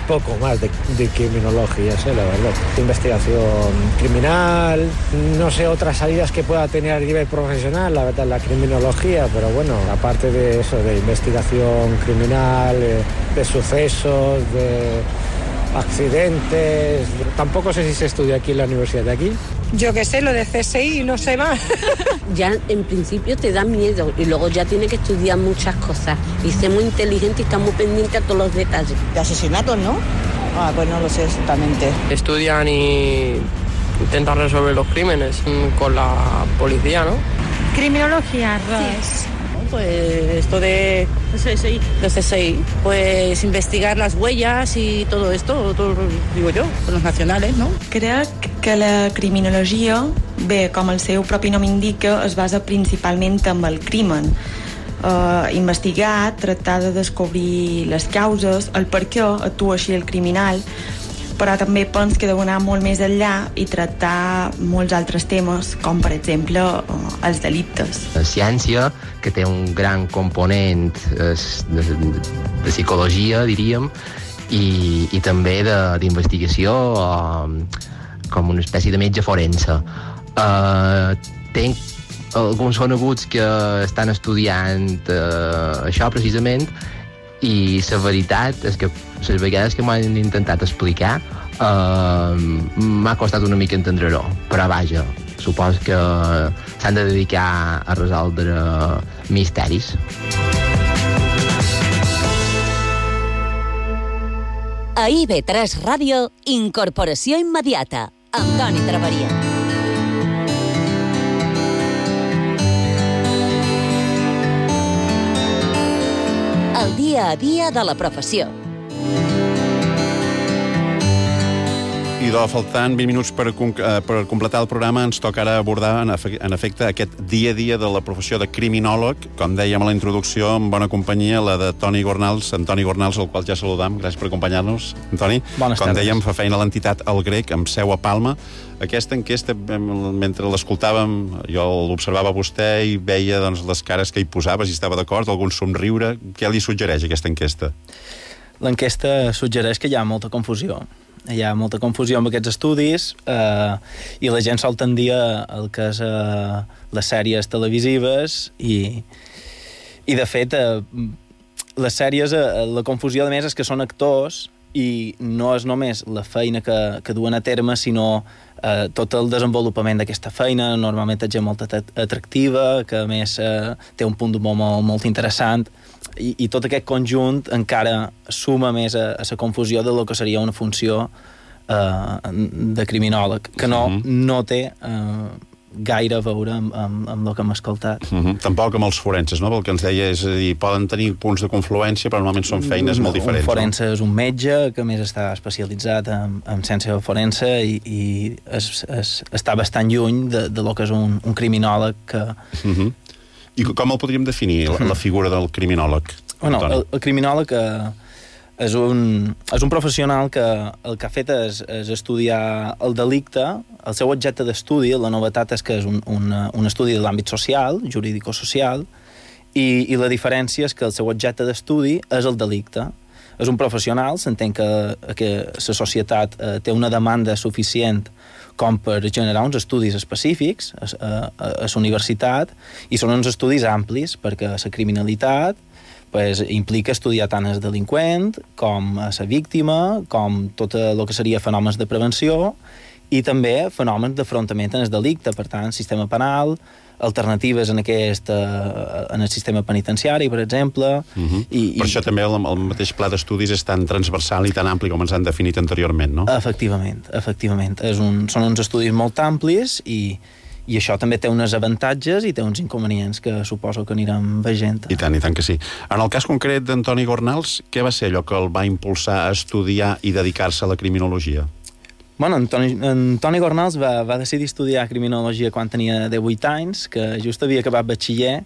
poco más de, de criminología, sé, la verdad. Investigación criminal, no sé otras salidas que pueda tener a nivel profesional, la verdad, la criminología, pero bueno, aparte de eso, de investigación criminal, de, de sucesos, de accidentes, tampoco sé si se estudia aquí en la universidad de aquí. Yo qué sé, lo de C S I, no sé más. Ya en principio te da miedo y luego ya tiene que estudiar muchas cosas y ser muy inteligente y estar muy pendiente a todos los detalles. De asesinatos, ¿no? Ah, pues no lo sé exactamente. Estudian y intentan resolver los crímenes con la policía, ¿no? Criminología, sí. Pues esto de C S I, de C S I, pues investigar las huellas y todo esto, todo, digo yo, con los nacionales, ¿no? Crec que la criminologia, bé, com el seu propi nom indica, es basa principalment en el crimen. Uh, investigar, tractar de descobrir les causes, el per què actua així el criminal, però també penso que deu anar molt més enllà i tractar molts altres temes, com per exemple els delictes. La ciència, que té un gran component de, de, de psicologia, diríem, i, i també d'investigació com una espècie de metge forense. Uh, tenc alguns coneguts que estan estudiant uh, això precisament, i la veritat és que les vegades que m'han intentat explicar uh, m'ha costat una mica entendre-ho, però vaja, suposo que s'han de dedicar a resoldre misteris. A I V tres Ràdio, Incorporació Immediata, amb Toni Traveria. El dia a dia de la professió. I de faltant vint minuts per, per completar el programa, ens toca ara abordar en, efe, en efecte aquest dia a dia de la professió de criminòleg, com dèiem a la introducció, amb bona companyia, la de Toni Gornals, Antoni Gornals, el qual ja saludam. Gràcies per acompanyar-nos, Antoni. Bones com tardes. Dèiem, fa feina a l'entitat El Grec, amb seu a Palma. Aquesta enquesta, mentre l'escoltàvem, jo l'observava vostè i veia doncs, les cares que hi posava, si estava d'acord, algun somriure. Què li suggereix aquesta enquesta? L'enquesta suggereix que hi ha molta confusió. Hi ha molta confusió amb aquests estudis eh, i la gent sol tendir al que és eh, les sèries televisives i, i de fet, eh, les sèries, eh, la confusió, a més, és que són actors i no és només la feina que, que duen a terme, sinó eh, tot el desenvolupament d'aquesta feina. Normalment és gent molt atractiva, que a més eh, té un punt d'humor molt, molt interessant, i, i tot aquest conjunt encara suma més a, a la confusió de lo que seria una funció eh, de criminòleg, que no, no té eh, gaire a veure amb, amb, amb el que hem escoltat. Uh -huh. Tampoc amb els forenses, no? El que ens deia és a dir, poden tenir punts de confluència, però normalment són feines molt diferents. Un forense no? és un metge que més està especialitzat en, en ciència forense i, i es, es, està bastant lluny de, de lo que és un, un criminòleg que... Uh -huh. I com el podríem definir, la, la figura del criminòleg? Bueno, el, el criminòleg eh, és, un, és un professional que el que ha fet és, és estudiar el delicte. El seu objecte d'estudi, la novetat és que és un, un, un estudi de l'àmbit social, jurídico-social, i, i la diferència és que el seu objecte d'estudi és el delicte. És un professional, s'entén que, que la societat eh, té una demanda suficient com per generar uns estudis específics a, a, a la universitat, i són uns estudis amplis, perquè la criminalitat pues, implica estudiar tant el delinqüent com a la víctima, com tot el que seria fenòmens de prevenció, i també fenòmens d'afrontament en el delicte, per tant, sistema penal, alternatives en aquest, en el sistema penitenciari, per exemple. Uh-huh. I, per i... això també el, el mateix pla d'estudis és tan transversal i tan ampli com ens han definit anteriorment, no? Efectivament, efectivament. És un, són uns estudis molt amplis i, i això també té uns avantatges i té uns inconvenients que suposo que anirem veient. I tant, i tant que sí. En el cas concret d'Antoni Gornals, què va ser allò que el va impulsar a estudiar i dedicar-se a la criminologia? Bueno, Antoni, Antoni Gornals va, va decidir estudiar criminologia quan tenia divuit anys, que just havia acabat batxiller.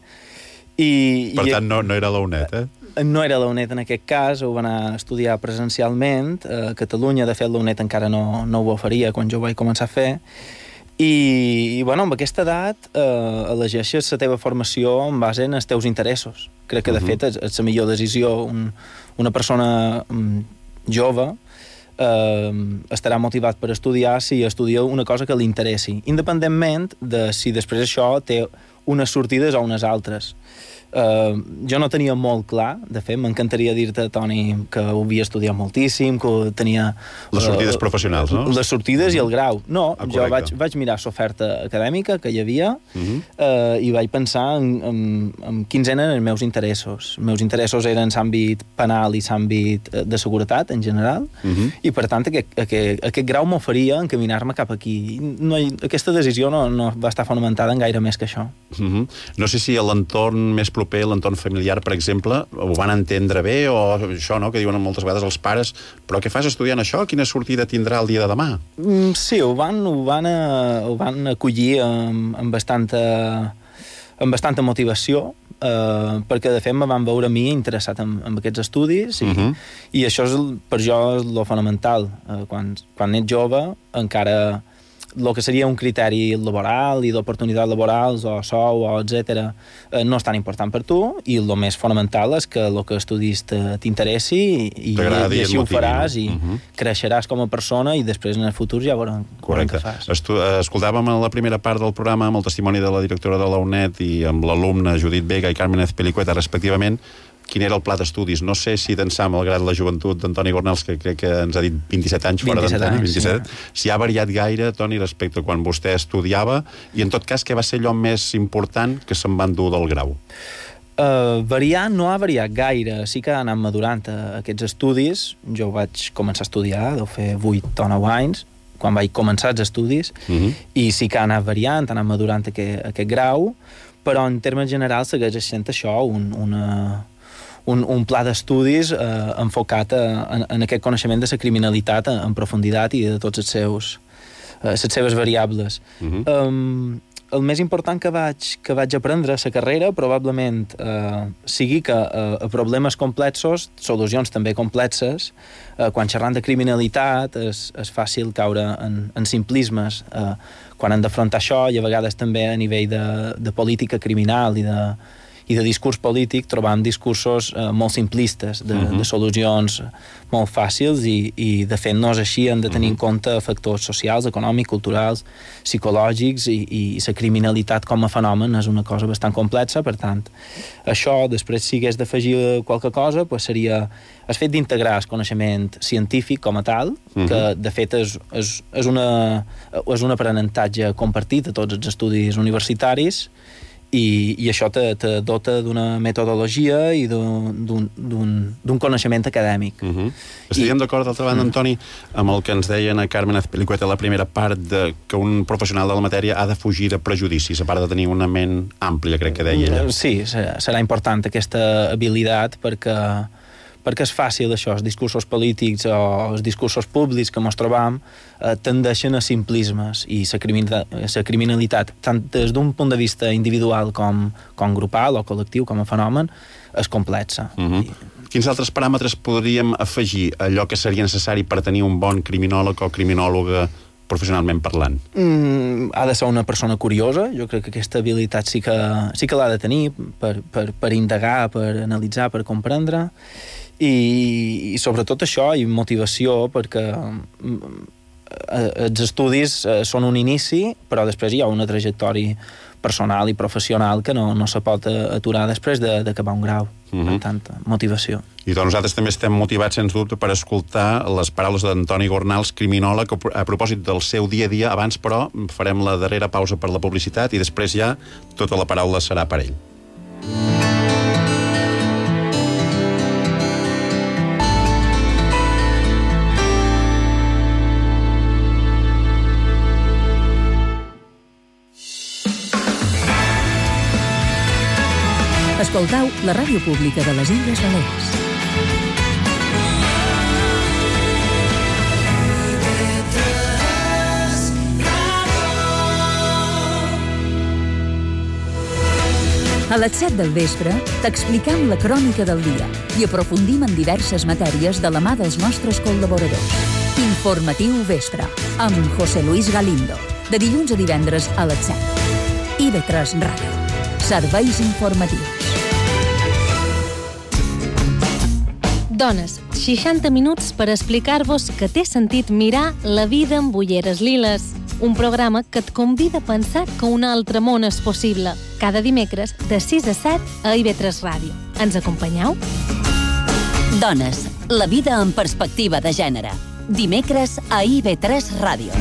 I, per i, tant, no, no era la U N E T, eh? No era la U N E T en aquest cas, ho va anar a estudiar presencialment. A Catalunya, de fet, la U N E T encara no, no ho oferia quan jo ho vaig començar a fer. I, i bueno, amb aquesta edat eh, elegeixes la teva formació en base en els teus interessos. Crec que, de uh-huh. fet, és, és la millor decisió. Un, una persona um, jove eh, estarà motivat per estudiar si estudia una cosa que li interessi, independentment de si després això té unes sortides o unes altres. Uh, jo no tenia molt clar, de fet, m'encantaria dir-te, Toni, que ho havia estudiat moltíssim, que tenia... Les sortides uh, professionals, no? Les sortides uh-huh. i el grau. No, ah, jo vaig, vaig mirar l'oferta acadèmica que hi havia uh-huh. uh, i vaig pensar en, en, en quins eren els meus interessos. Els meus interessos eren l'àmbit penal i l'àmbit de seguretat, en general, uh-huh. i, per tant, aquest, aquest, aquest grau m'oferia encaminar-me cap aquí. No, aquesta decisió no, no va estar fonamentada en gaire més que això. Uh-huh. No sé si a l'entorn més proper, l'entorn familiar, per exemple, ho van entendre bé, o això, no?, que diuen moltes vegades els pares, però què fas estudiant això? Quina sortida tindrà el dia de demà? Mm, sí, ho van, ho van, a, ho van acollir amb, amb, bastanta, amb bastanta motivació, eh, perquè, de fet, me van veure a mi interessat en, en aquests estudis, i, uh-huh. i això és, per jo és lo fonamental. Eh, quan, quan ets jove, encara... el que seria un criteri laboral i d'oportunitats laborals o sou o etcètera eh, no és tan important per tu, i el més fonamental és que el que estudis t'interessi i, i, i així ho faràs, no? I uh-huh. creixeràs com a persona, i després en el futur ja veurem, veurem què fas. Estu escoltàvem a la primera part del programa amb el testimoni de la directora de la U N E T i amb l'alumna Judit Vega i Carmen Azpilicueta, respectivament, quin era el pla d'estudis. No sé si d'ençà, malgrat la joventut d'Antoni Gornals, que crec que ens ha dit vint-i-set anys fora d'antena, vint-i-set, sí. Si ha variat gaire, Toni, respecte a quan vostè estudiava, i en tot cas, què va ser allò més important que se'n van dur del grau? Uh, variar no ha variat gaire, sí que ha anat madurant uh, aquests estudis. Jo vaig començar a estudiar, deu fer vuit o nou anys, quan vaig començar els estudis, uh-huh. i sí que ha anat variant, ha anat madurant aquest, aquest grau, però en termes generals segueix sent això, un, una... Un, un pla d'estudis eh, enfocat a, en, en aquest coneixement de la criminalitat en, en profunditat i de tots els seus, eh, les seves variables. Uh-huh. um, el més important que vaig, que vaig aprendre a la carrera probablement eh, sigui que eh, a problemes complexos, solucions també complexes, eh, quan xerrant de criminalitat és, és fàcil caure en, en simplismes eh, quan han d'afrontar això, i a vegades també a nivell de, de política criminal i de i de discurs polític trobam discursos eh, molt simplistes, de, uh-huh. de solucions molt fàcils, i, i de fet no és així, han de tenir uh-huh. en compte factors socials, econòmics, culturals, psicològics, i, i la criminalitat com a fenomen és una cosa bastant complexa. Per tant, això, després, si hagués d'afegir qualque cosa, pues seria el fet d'integrar el coneixement científic com a tal, uh-huh. que de fet és, és, és, una, és un aprenentatge compartit a tots els estudis universitaris, I, i això te, te dota d'una metodologia i d'un coneixement acadèmic. Uh-huh. Estaríem d'acord, d'altra banda, uh-huh. Antoni, amb el que ens deien a Carmen Azpilicueta a la primera part, de que un professional de la matèria ha de fugir de prejudicis, a part de tenir una ment àmplia, crec que deia ella. Sí, serà important aquesta habilitat, perquè perquè és fàcil això, els discursos polítics o els discursos públics que ens trobam eh, tendeixen a simplismes, i la criminalitat, criminalitat tant des d'un punt de vista individual com, com grupal o col·lectiu, com a fenomen, és complexa. Uh-huh. I... Quins altres paràmetres podríem afegir allò que seria necessari per tenir un bon criminòleg o criminòloga professionalment parlant? Mm, ha de ser una persona curiosa. Jo crec que aquesta habilitat sí que, sí que l'ha de tenir per, per, per indagar, per analitzar, per comprendre. I, i sobretot això, i motivació, perquè els estudis són un inici, però després hi ha una trajectòria personal i professional que no, no se pot aturar després d'acabar un grau. uh-huh. Per tant, motivació. I doncs nosaltres també estem motivats, sens dubte, per escoltar les paraules d'Antoni Gornals, criminòleg, a propòsit del seu dia a dia. Abans, però, farem la darrera pausa per la publicitat i després ja tota la paraula serà per ell. Escoltau la ràdio pública de les Illes Balears. A les set del vespre t'explicam la crònica del dia i aprofundim en diverses matèries de la mà dels nostres col·laboradors. Informatiu Vespre, amb José Luis Galindo, de dilluns a divendres a les set. I ve tres Ràdio. Serveis informatius. Dones, seixanta minuts per explicar-vos que té sentit mirar la vida amb ulleres liles. Un programa que et convida a pensar que un altre món és possible. Cada dimecres, de sis a set, a I V tres Ràdio. Ens acompanyeu? Dones, la vida en perspectiva de gènere. Dimecres a I V tres Ràdio.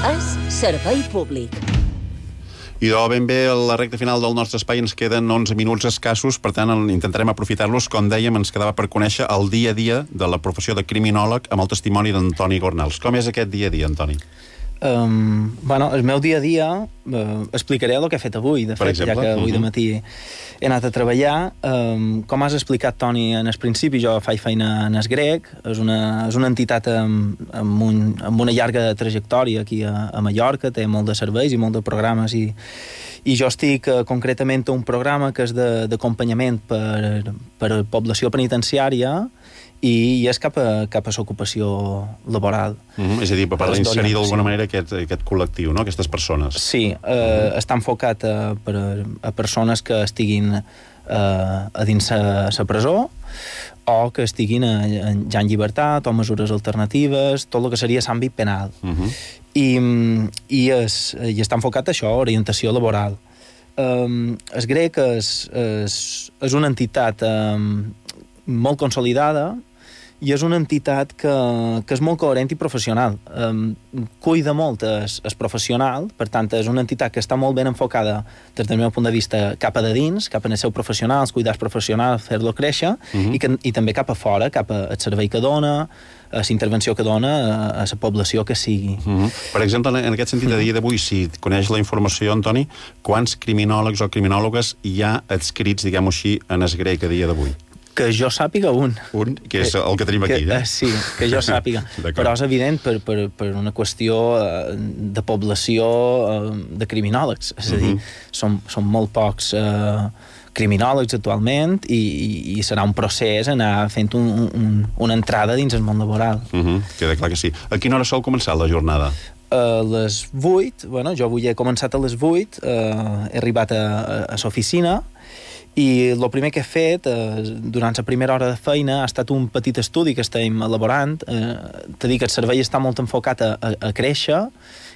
És servei públic. I de ben bé, a la recta final del nostre espai ens queden onze minuts escassos, per tant intentarem aprofitar-los. Com dèiem, ens quedava per conèixer el dia a dia de la professió de criminòleg amb el testimoni d'Antoni Gornals. Com és aquest dia a dia, Antoni? Um, bueno, el meu dia a dia uh, explicaré el que he fet avui, de fet, ja que avui de matí he anat a treballar. Um, com has explicat, Toni, en el principi, jo faig feina en el grec, és una, és una entitat amb, amb, un, amb una llarga trajectòria aquí a, a Mallorca, té molt de serveis i molt de programes, i, i jo estic uh, concretament a un programa que és d'acompanyament per, per població penitenciària, i és cap a, cap a l'ocupació laboral. Mm-hmm. És a dir, per, per inserir d'alguna manera aquest, aquest col·lectiu, no? Aquestes persones. Sí, eh, mm-hmm. està enfocat a, per, a persones que estiguin eh, a dins la presó o que estiguin a, a, ja en llibertat o mesures alternatives, tot el que seria l'àmbit penal. Mm-hmm. I, i, és, i està enfocat a això, orientació laboral. Um, el grec és, és, és una entitat um, molt consolidada, i és una entitat que, que és molt coherent i professional. Um, cuida molt es, es professional, per tant, és una entitat que està molt ben enfocada des del meu punt de vista cap a de dins, cap a el seu professional, els cuidats professionals, fer-lo créixer, uh-huh. i, que, i també cap a fora, cap al servei que dona, a la intervenció que dona a la població que sigui. Uh-huh. Per exemple, en aquest sentit, a dia d'avui, si coneix la informació, Antoni, quants criminòlegs o criminòlogues hi ha adscrits, diguem-ho així, en es grec a dia d'avui? Que jo sàpiga un. Un, que és el que tenim aquí, que, eh? Sí, que jo sàpiga. Però és evident per, per, per una qüestió de població de criminòlegs. És a dir, uh-huh. són, són molt pocs eh, criminòlegs actualment i, i, i serà un procés anar fent un, un, una entrada dins el món laboral. Uh-huh. Queda clar que sí. A quina hora sol començar la jornada? A les vuit, bueno, jo avui he començat a les vuit, eh, he arribat a, a, a l'oficina, i el primer que he fet eh, durant la primera hora de feina ha estat un petit estudi que estem elaborant. Eh, T'he dit que el servei està molt enfocat a, a, a créixer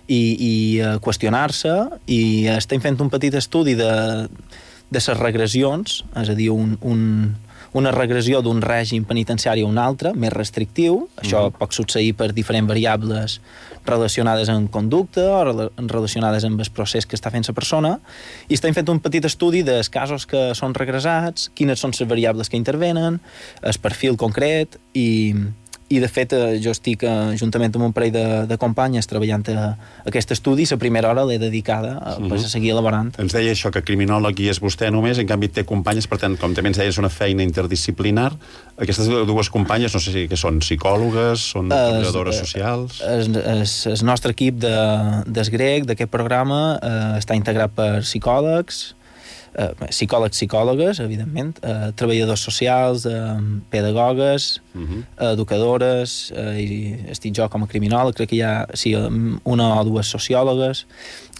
i, i a qüestionar-se, i estem fent un petit estudi de, de les regressions, és a dir, un, un, una regressió d'un règim penitenciari a un altre, més restrictiu. Això mm. pot succeir per diferents variables relacionades amb conducta o relacionades amb el procés que està fent la persona, i estem fent un petit estudi dels casos que són regressats, quines són les variables que intervenen, el perfil concret, i, i de fet jo estic eh, juntament amb un parell de, de companyes treballant a, a aquest estudi, i la primera hora l'he dedicada a, uh-huh. a seguir elaborant. Ens deia això, que criminòleg hi és vostè només, en canvi té companyes, per tant, com també ens deia, és una feina interdisciplinar. Aquestes dues companyes, no sé si que són psicòlogues, són treballadores socials... El, el, el nostre equip de, des grec, d'aquest programa, eh, està integrat per psicòlegs, eh, psicòlegs, psicòlogues, evidentment, eh, treballadors socials, eh, pedagogues, uh-huh. educadores, eh, i estic jo com a criminòleg, crec que hi ha sí, una o dues sociòlogues,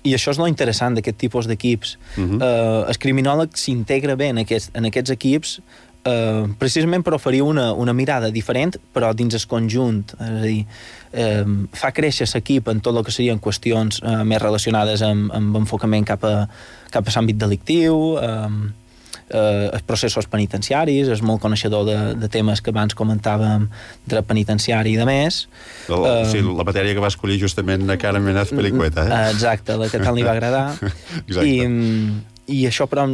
i això és lo interessant d'aquest tipus d'equips. Uh-huh. Eh, el criminòleg s'integra bé en aquests, en aquests equips, eh, precisament per oferir una, una mirada diferent, però dins el conjunt. És a dir, eh, fa créixer l'equip en tot el que serien qüestions eh, més relacionades amb, amb enfocament cap a, cap a l'àmbit delictiu, eh, eh, els processos penitenciaris, és molt coneixedor de, de temes que abans comentàvem, dret penitenciari i de més. El, uh, sí, la matèria que va escollir justament a Carmen Menaz Pelicueta, eh? Exacte, la que tant li va agradar. I, i això, però,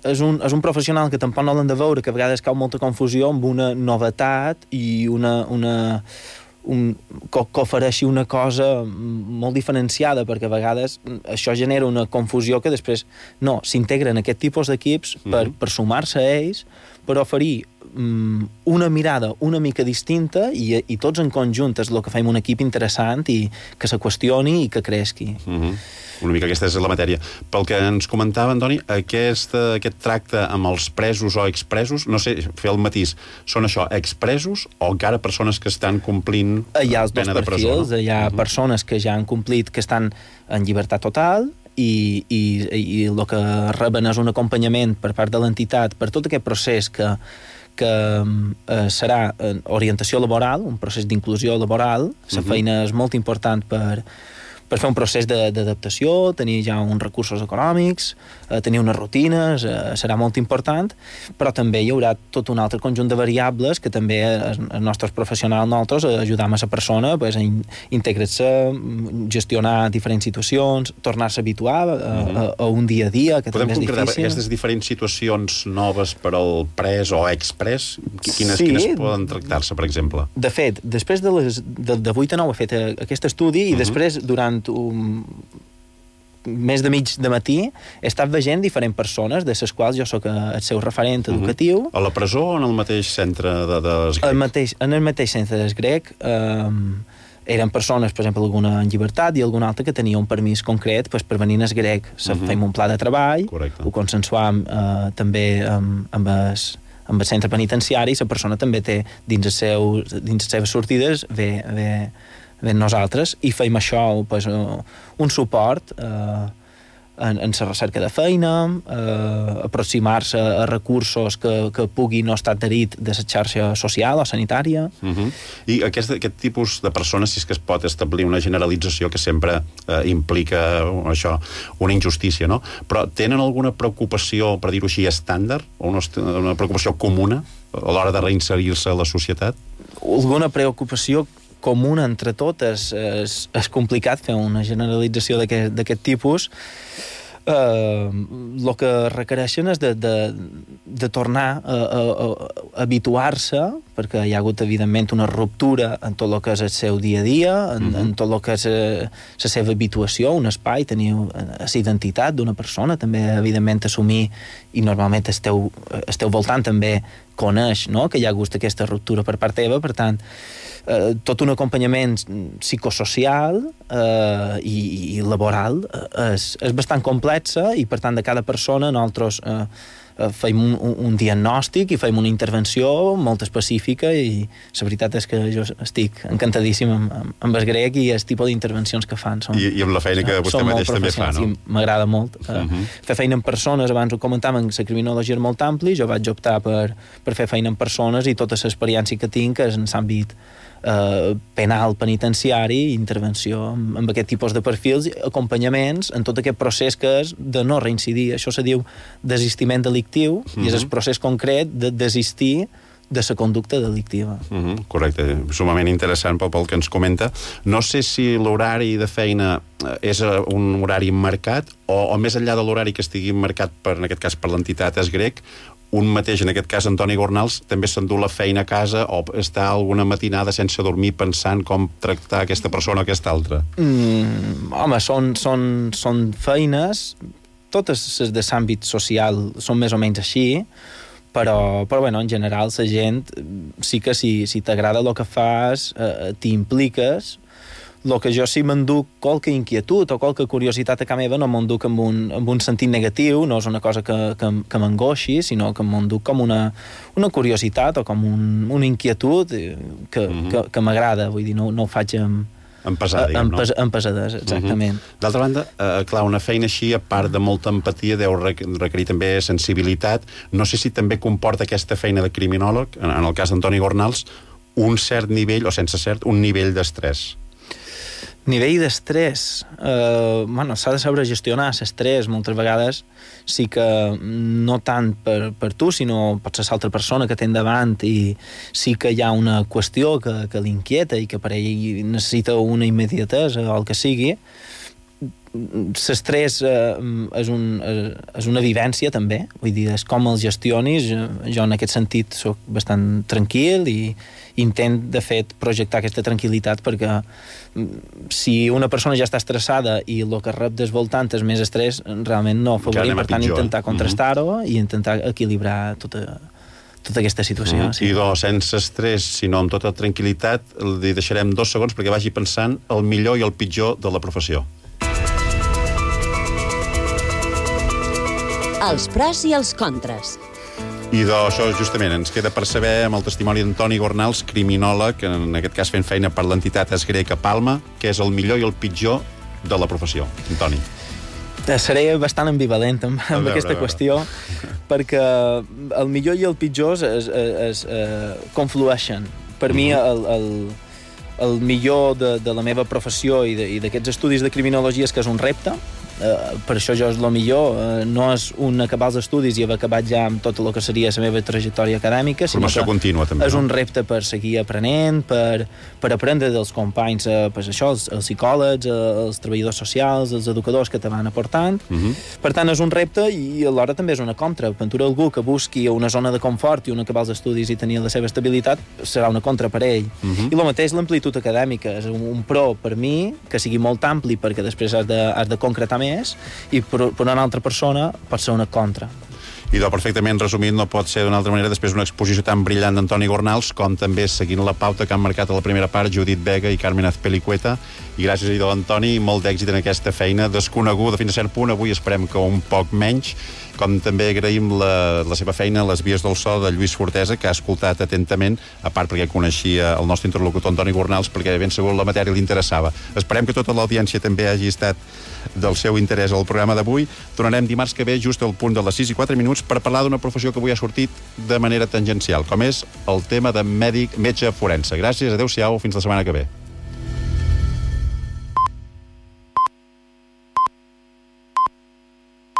és un, és un professional que tampoc no l'han de veure, que a vegades cau molta confusió amb una novetat i una... una un, que, que ofereixi una cosa molt diferenciada, perquè a vegades això genera una confusió que després no, s'integren aquest tipus d'equips per, mm-hmm. per sumar-se a ells, per oferir um, una mirada una mica distinta i, i tots en conjunt és el que fem un equip interessant i que se qüestioni i que creixi. Mm-hmm. Una mica aquesta és la matèria. Pel que ens comentava, Antoni, aquest, aquest tracte amb els presos o expresos, no sé, fer el matís, són això, expresos o encara persones que estan complint hi ha els dos pena de presó? Perfils, no? Hi ha uh-huh. persones que ja han complit, que estan en llibertat total i, i, i el que reben és un acompanyament per part de l'entitat per tot aquest procés que que eh, serà orientació laboral, un procés d'inclusió laboral. La uh-huh. feina és molt important per per fer un procés d'adaptació, tenir ja uns recursos econòmics, eh, tenir unes rutines, eh, serà molt important, però també hi haurà tot un altre conjunt de variables que també els, els nostres professionals, nosaltres, ajudam a la persona pues, a in, integrar-se, gestionar diferents situacions, tornar-se a habituar a, a, a un dia a dia, que Podem també és difícil. Podem concretar aquestes diferents situacions noves per al pres o expres? Quines, sí. quines poden tractar-se, per exemple? De fet, després de, les, de, de vuit a nou he fet aquest estudi i uh-huh. després, durant un més de mig de matí he estat veient diferents persones de les quals jo sóc el seu referent educatiu. Uh-huh. A la presó o en el mateix centre de, de el mateix, en el mateix centre del grec eh, eren persones, per exemple, alguna en llibertat i alguna altra que tenia un permís concret pues, per venir al grec. Uh-huh. Fem un pla de treball, correcte. Ho consensuam eh, també amb, amb el amb el centre penitenciari, la persona també té dins, el seu, dins les seves sortides ve, ve ben nosaltres, i feim això pues, un suport eh, en, en la recerca de feina, eh, aproximar-se a recursos que, que pugui no estar adherit de la xarxa social o sanitària. Uh-huh. I aquest, aquest tipus de persones, si és que es pot establir una generalització que sempre eh, implica això, una injustícia, no? Però tenen alguna preocupació, per dir-ho així, estàndard, o una, una preocupació comuna a l'hora de reinserir-se a la societat? Alguna preocupació comuna entre totes. És, és complicat fer una generalització d'aquest tipus. El uh, que requereixen és de, de, de tornar a, a, a habituar-se, perquè hi ha hagut, evidentment, una ruptura en tot el que és el seu dia a dia, en, mm-hmm. en tot el que és la seva habituació, un espai, tenir la identitat d'una persona, també, evidentment, assumir, i normalment esteu, esteu voltant també coneix, no?, que hi ha hagut aquesta ruptura per part teva, per tant, eh, tot un acompanyament psicosocial eh, i, i laboral eh, és, és bastant complexa, i per tant de cada persona nosaltres eh, fem un, un diagnòstic i fem una intervenció molt específica, i la veritat és que jo estic encantadíssim amb, amb, amb el grec i el tipus d'intervencions que fan. Són, I, I amb la feina que vostè mateix també fa, no? M'agrada molt. Uh -huh. Fer feina amb persones, abans ho comentàvem, la criminologia és molt ampli, jo vaig optar per, per fer feina amb persones, i tota l'experiència que tinc és en l'àmbit Uh, penal, penitenciari, intervenció amb, amb aquest tipus de perfils, acompanyaments en tot aquest procés que és de no reincidir. Això se diu desistiment delictiu, mm-hmm. i és el procés concret de desistir de la conducta delictiva. Mm-hmm, correcte, sumament interessant pel, pel que ens comenta. No sé si l'horari de feina és un horari marcat o, o més enllà de l'horari que estigui marcat per, en aquest cas per l'entitat Es Grec, un mateix, en aquest cas Antoni Gornals, també s'endú la feina a casa o està alguna matinada sense dormir pensant com tractar aquesta persona o aquesta altra? Mm, home, són, són, són feines, totes les de l'àmbit social són més o menys així, però, però bueno, en general la gent sí que si, si t'agrada el que fas, eh, t'hi impliques. El que jo sí m'enduc qualque inquietud o qualque curiositat a casa meva, no m'enduc amb un, amb un sentit negatiu, no és una cosa que, que, que m'angoixi, sinó que m'enduc com una, una curiositat o com un, una inquietud que, mm-hmm. que, que m'agrada, vull dir, no, no ho faig amb, pesar, diguem, no? En pesadesa, exactament. Uh-huh. D'altra banda, eh, clar, una feina així, a part de molta empatia, deu requerir també sensibilitat. No sé si també comporta aquesta feina de criminòleg, en el cas d'Antoni Gornals, un cert nivell, o sense cert, un nivell d'estrès. Nivell d'estrès, eh, bueno, s'ha de saber gestionar l'estrès. Moltes vegades sí que no tant per, per tu, sinó pot ser l'altra persona que té endavant, i sí que hi ha una qüestió que, que l'inquieta i que per ell necessita una immediatesa o el que sigui. L'estrès eh, és, un, és una vivència també, vull dir, és com el gestionis. Jo en aquest sentit soc bastant tranquil i intent, de fet, projectar aquesta tranquil·litat, perquè si una persona ja està estressada i el que rep des voltant és més estrès, realment no afavorim. Per tant, intentar contrastar-ho mm-hmm. i intentar equilibrar tota, tota aquesta situació. Mm-hmm. Sí. I doncs, sense estrès, sinó amb tota tranquil·litat, li deixarem dos segons perquè vagi pensant el millor i el pitjor de la professió. Els pros i els contres. I doncs, això justament ens queda per saber amb el testimoni d'Antoni Gornals, criminòleg, en aquest cas fent feina per l'entitat Esgrec a Palma, què és el millor i el pitjor de la professió. Antoni. Seré bastant ambivalent amb, amb veure, aquesta qüestió, perquè el millor i el pitjor es, es, es, es conflueixen. Per uh-huh. mi el, el, el millor de, de la meva professió i d'aquests estudis de criminologia és que és un repte. Uh, per això jo és el millor, uh, no és un acabar els estudis i haver acabat ja amb tot el que seria la meva trajectòria acadèmica, sinó formació contínua, també, és no? un repte per seguir aprenent, per, per aprendre dels companys, uh, pues això, els, els psicòlegs, uh, els treballadors socials, els educadors que te van aportant. Uh-huh. Per tant, és un repte i alhora també és una contra. Per algú que busqui una zona de confort i un acabar els estudis i tenir la seva estabilitat, serà una contra per ell. Uh-huh. I el mateix l'amplitud acadèmica, és un, un pro per mi, que sigui molt ampli perquè després has de, has de concretar més, i per, per una altra persona pot ser una contra. I doncs, perfectament resumit, no pot ser d'una altra manera després d'una exposició tan brillant d'Antoni Gornals, com també seguint la pauta que han marcat a la primera part Judit Vega i Carmen Azpilicueta. I gràcies, idò, Antoni, molt d'èxit en aquesta feina desconeguda fins a cert punt, avui esperem que un poc menys, com també agraïm la, la seva feina a les vies del so de Lluís Fortesa, que ha escoltat atentament, a part perquè coneixia el nostre interlocutor Antoni Gornals, perquè ben segur la matèria li interessava. Esperem que tota l'audiència també hagi estat del seu interès al programa d'avui. Tornarem dimarts que ve just al punt de les sis i quatre minuts per parlar d'una professió que avui ha sortit de manera tangencial, com és el tema de mèdic, metge forense. Gràcies, adeu-siau, fins la setmana que ve.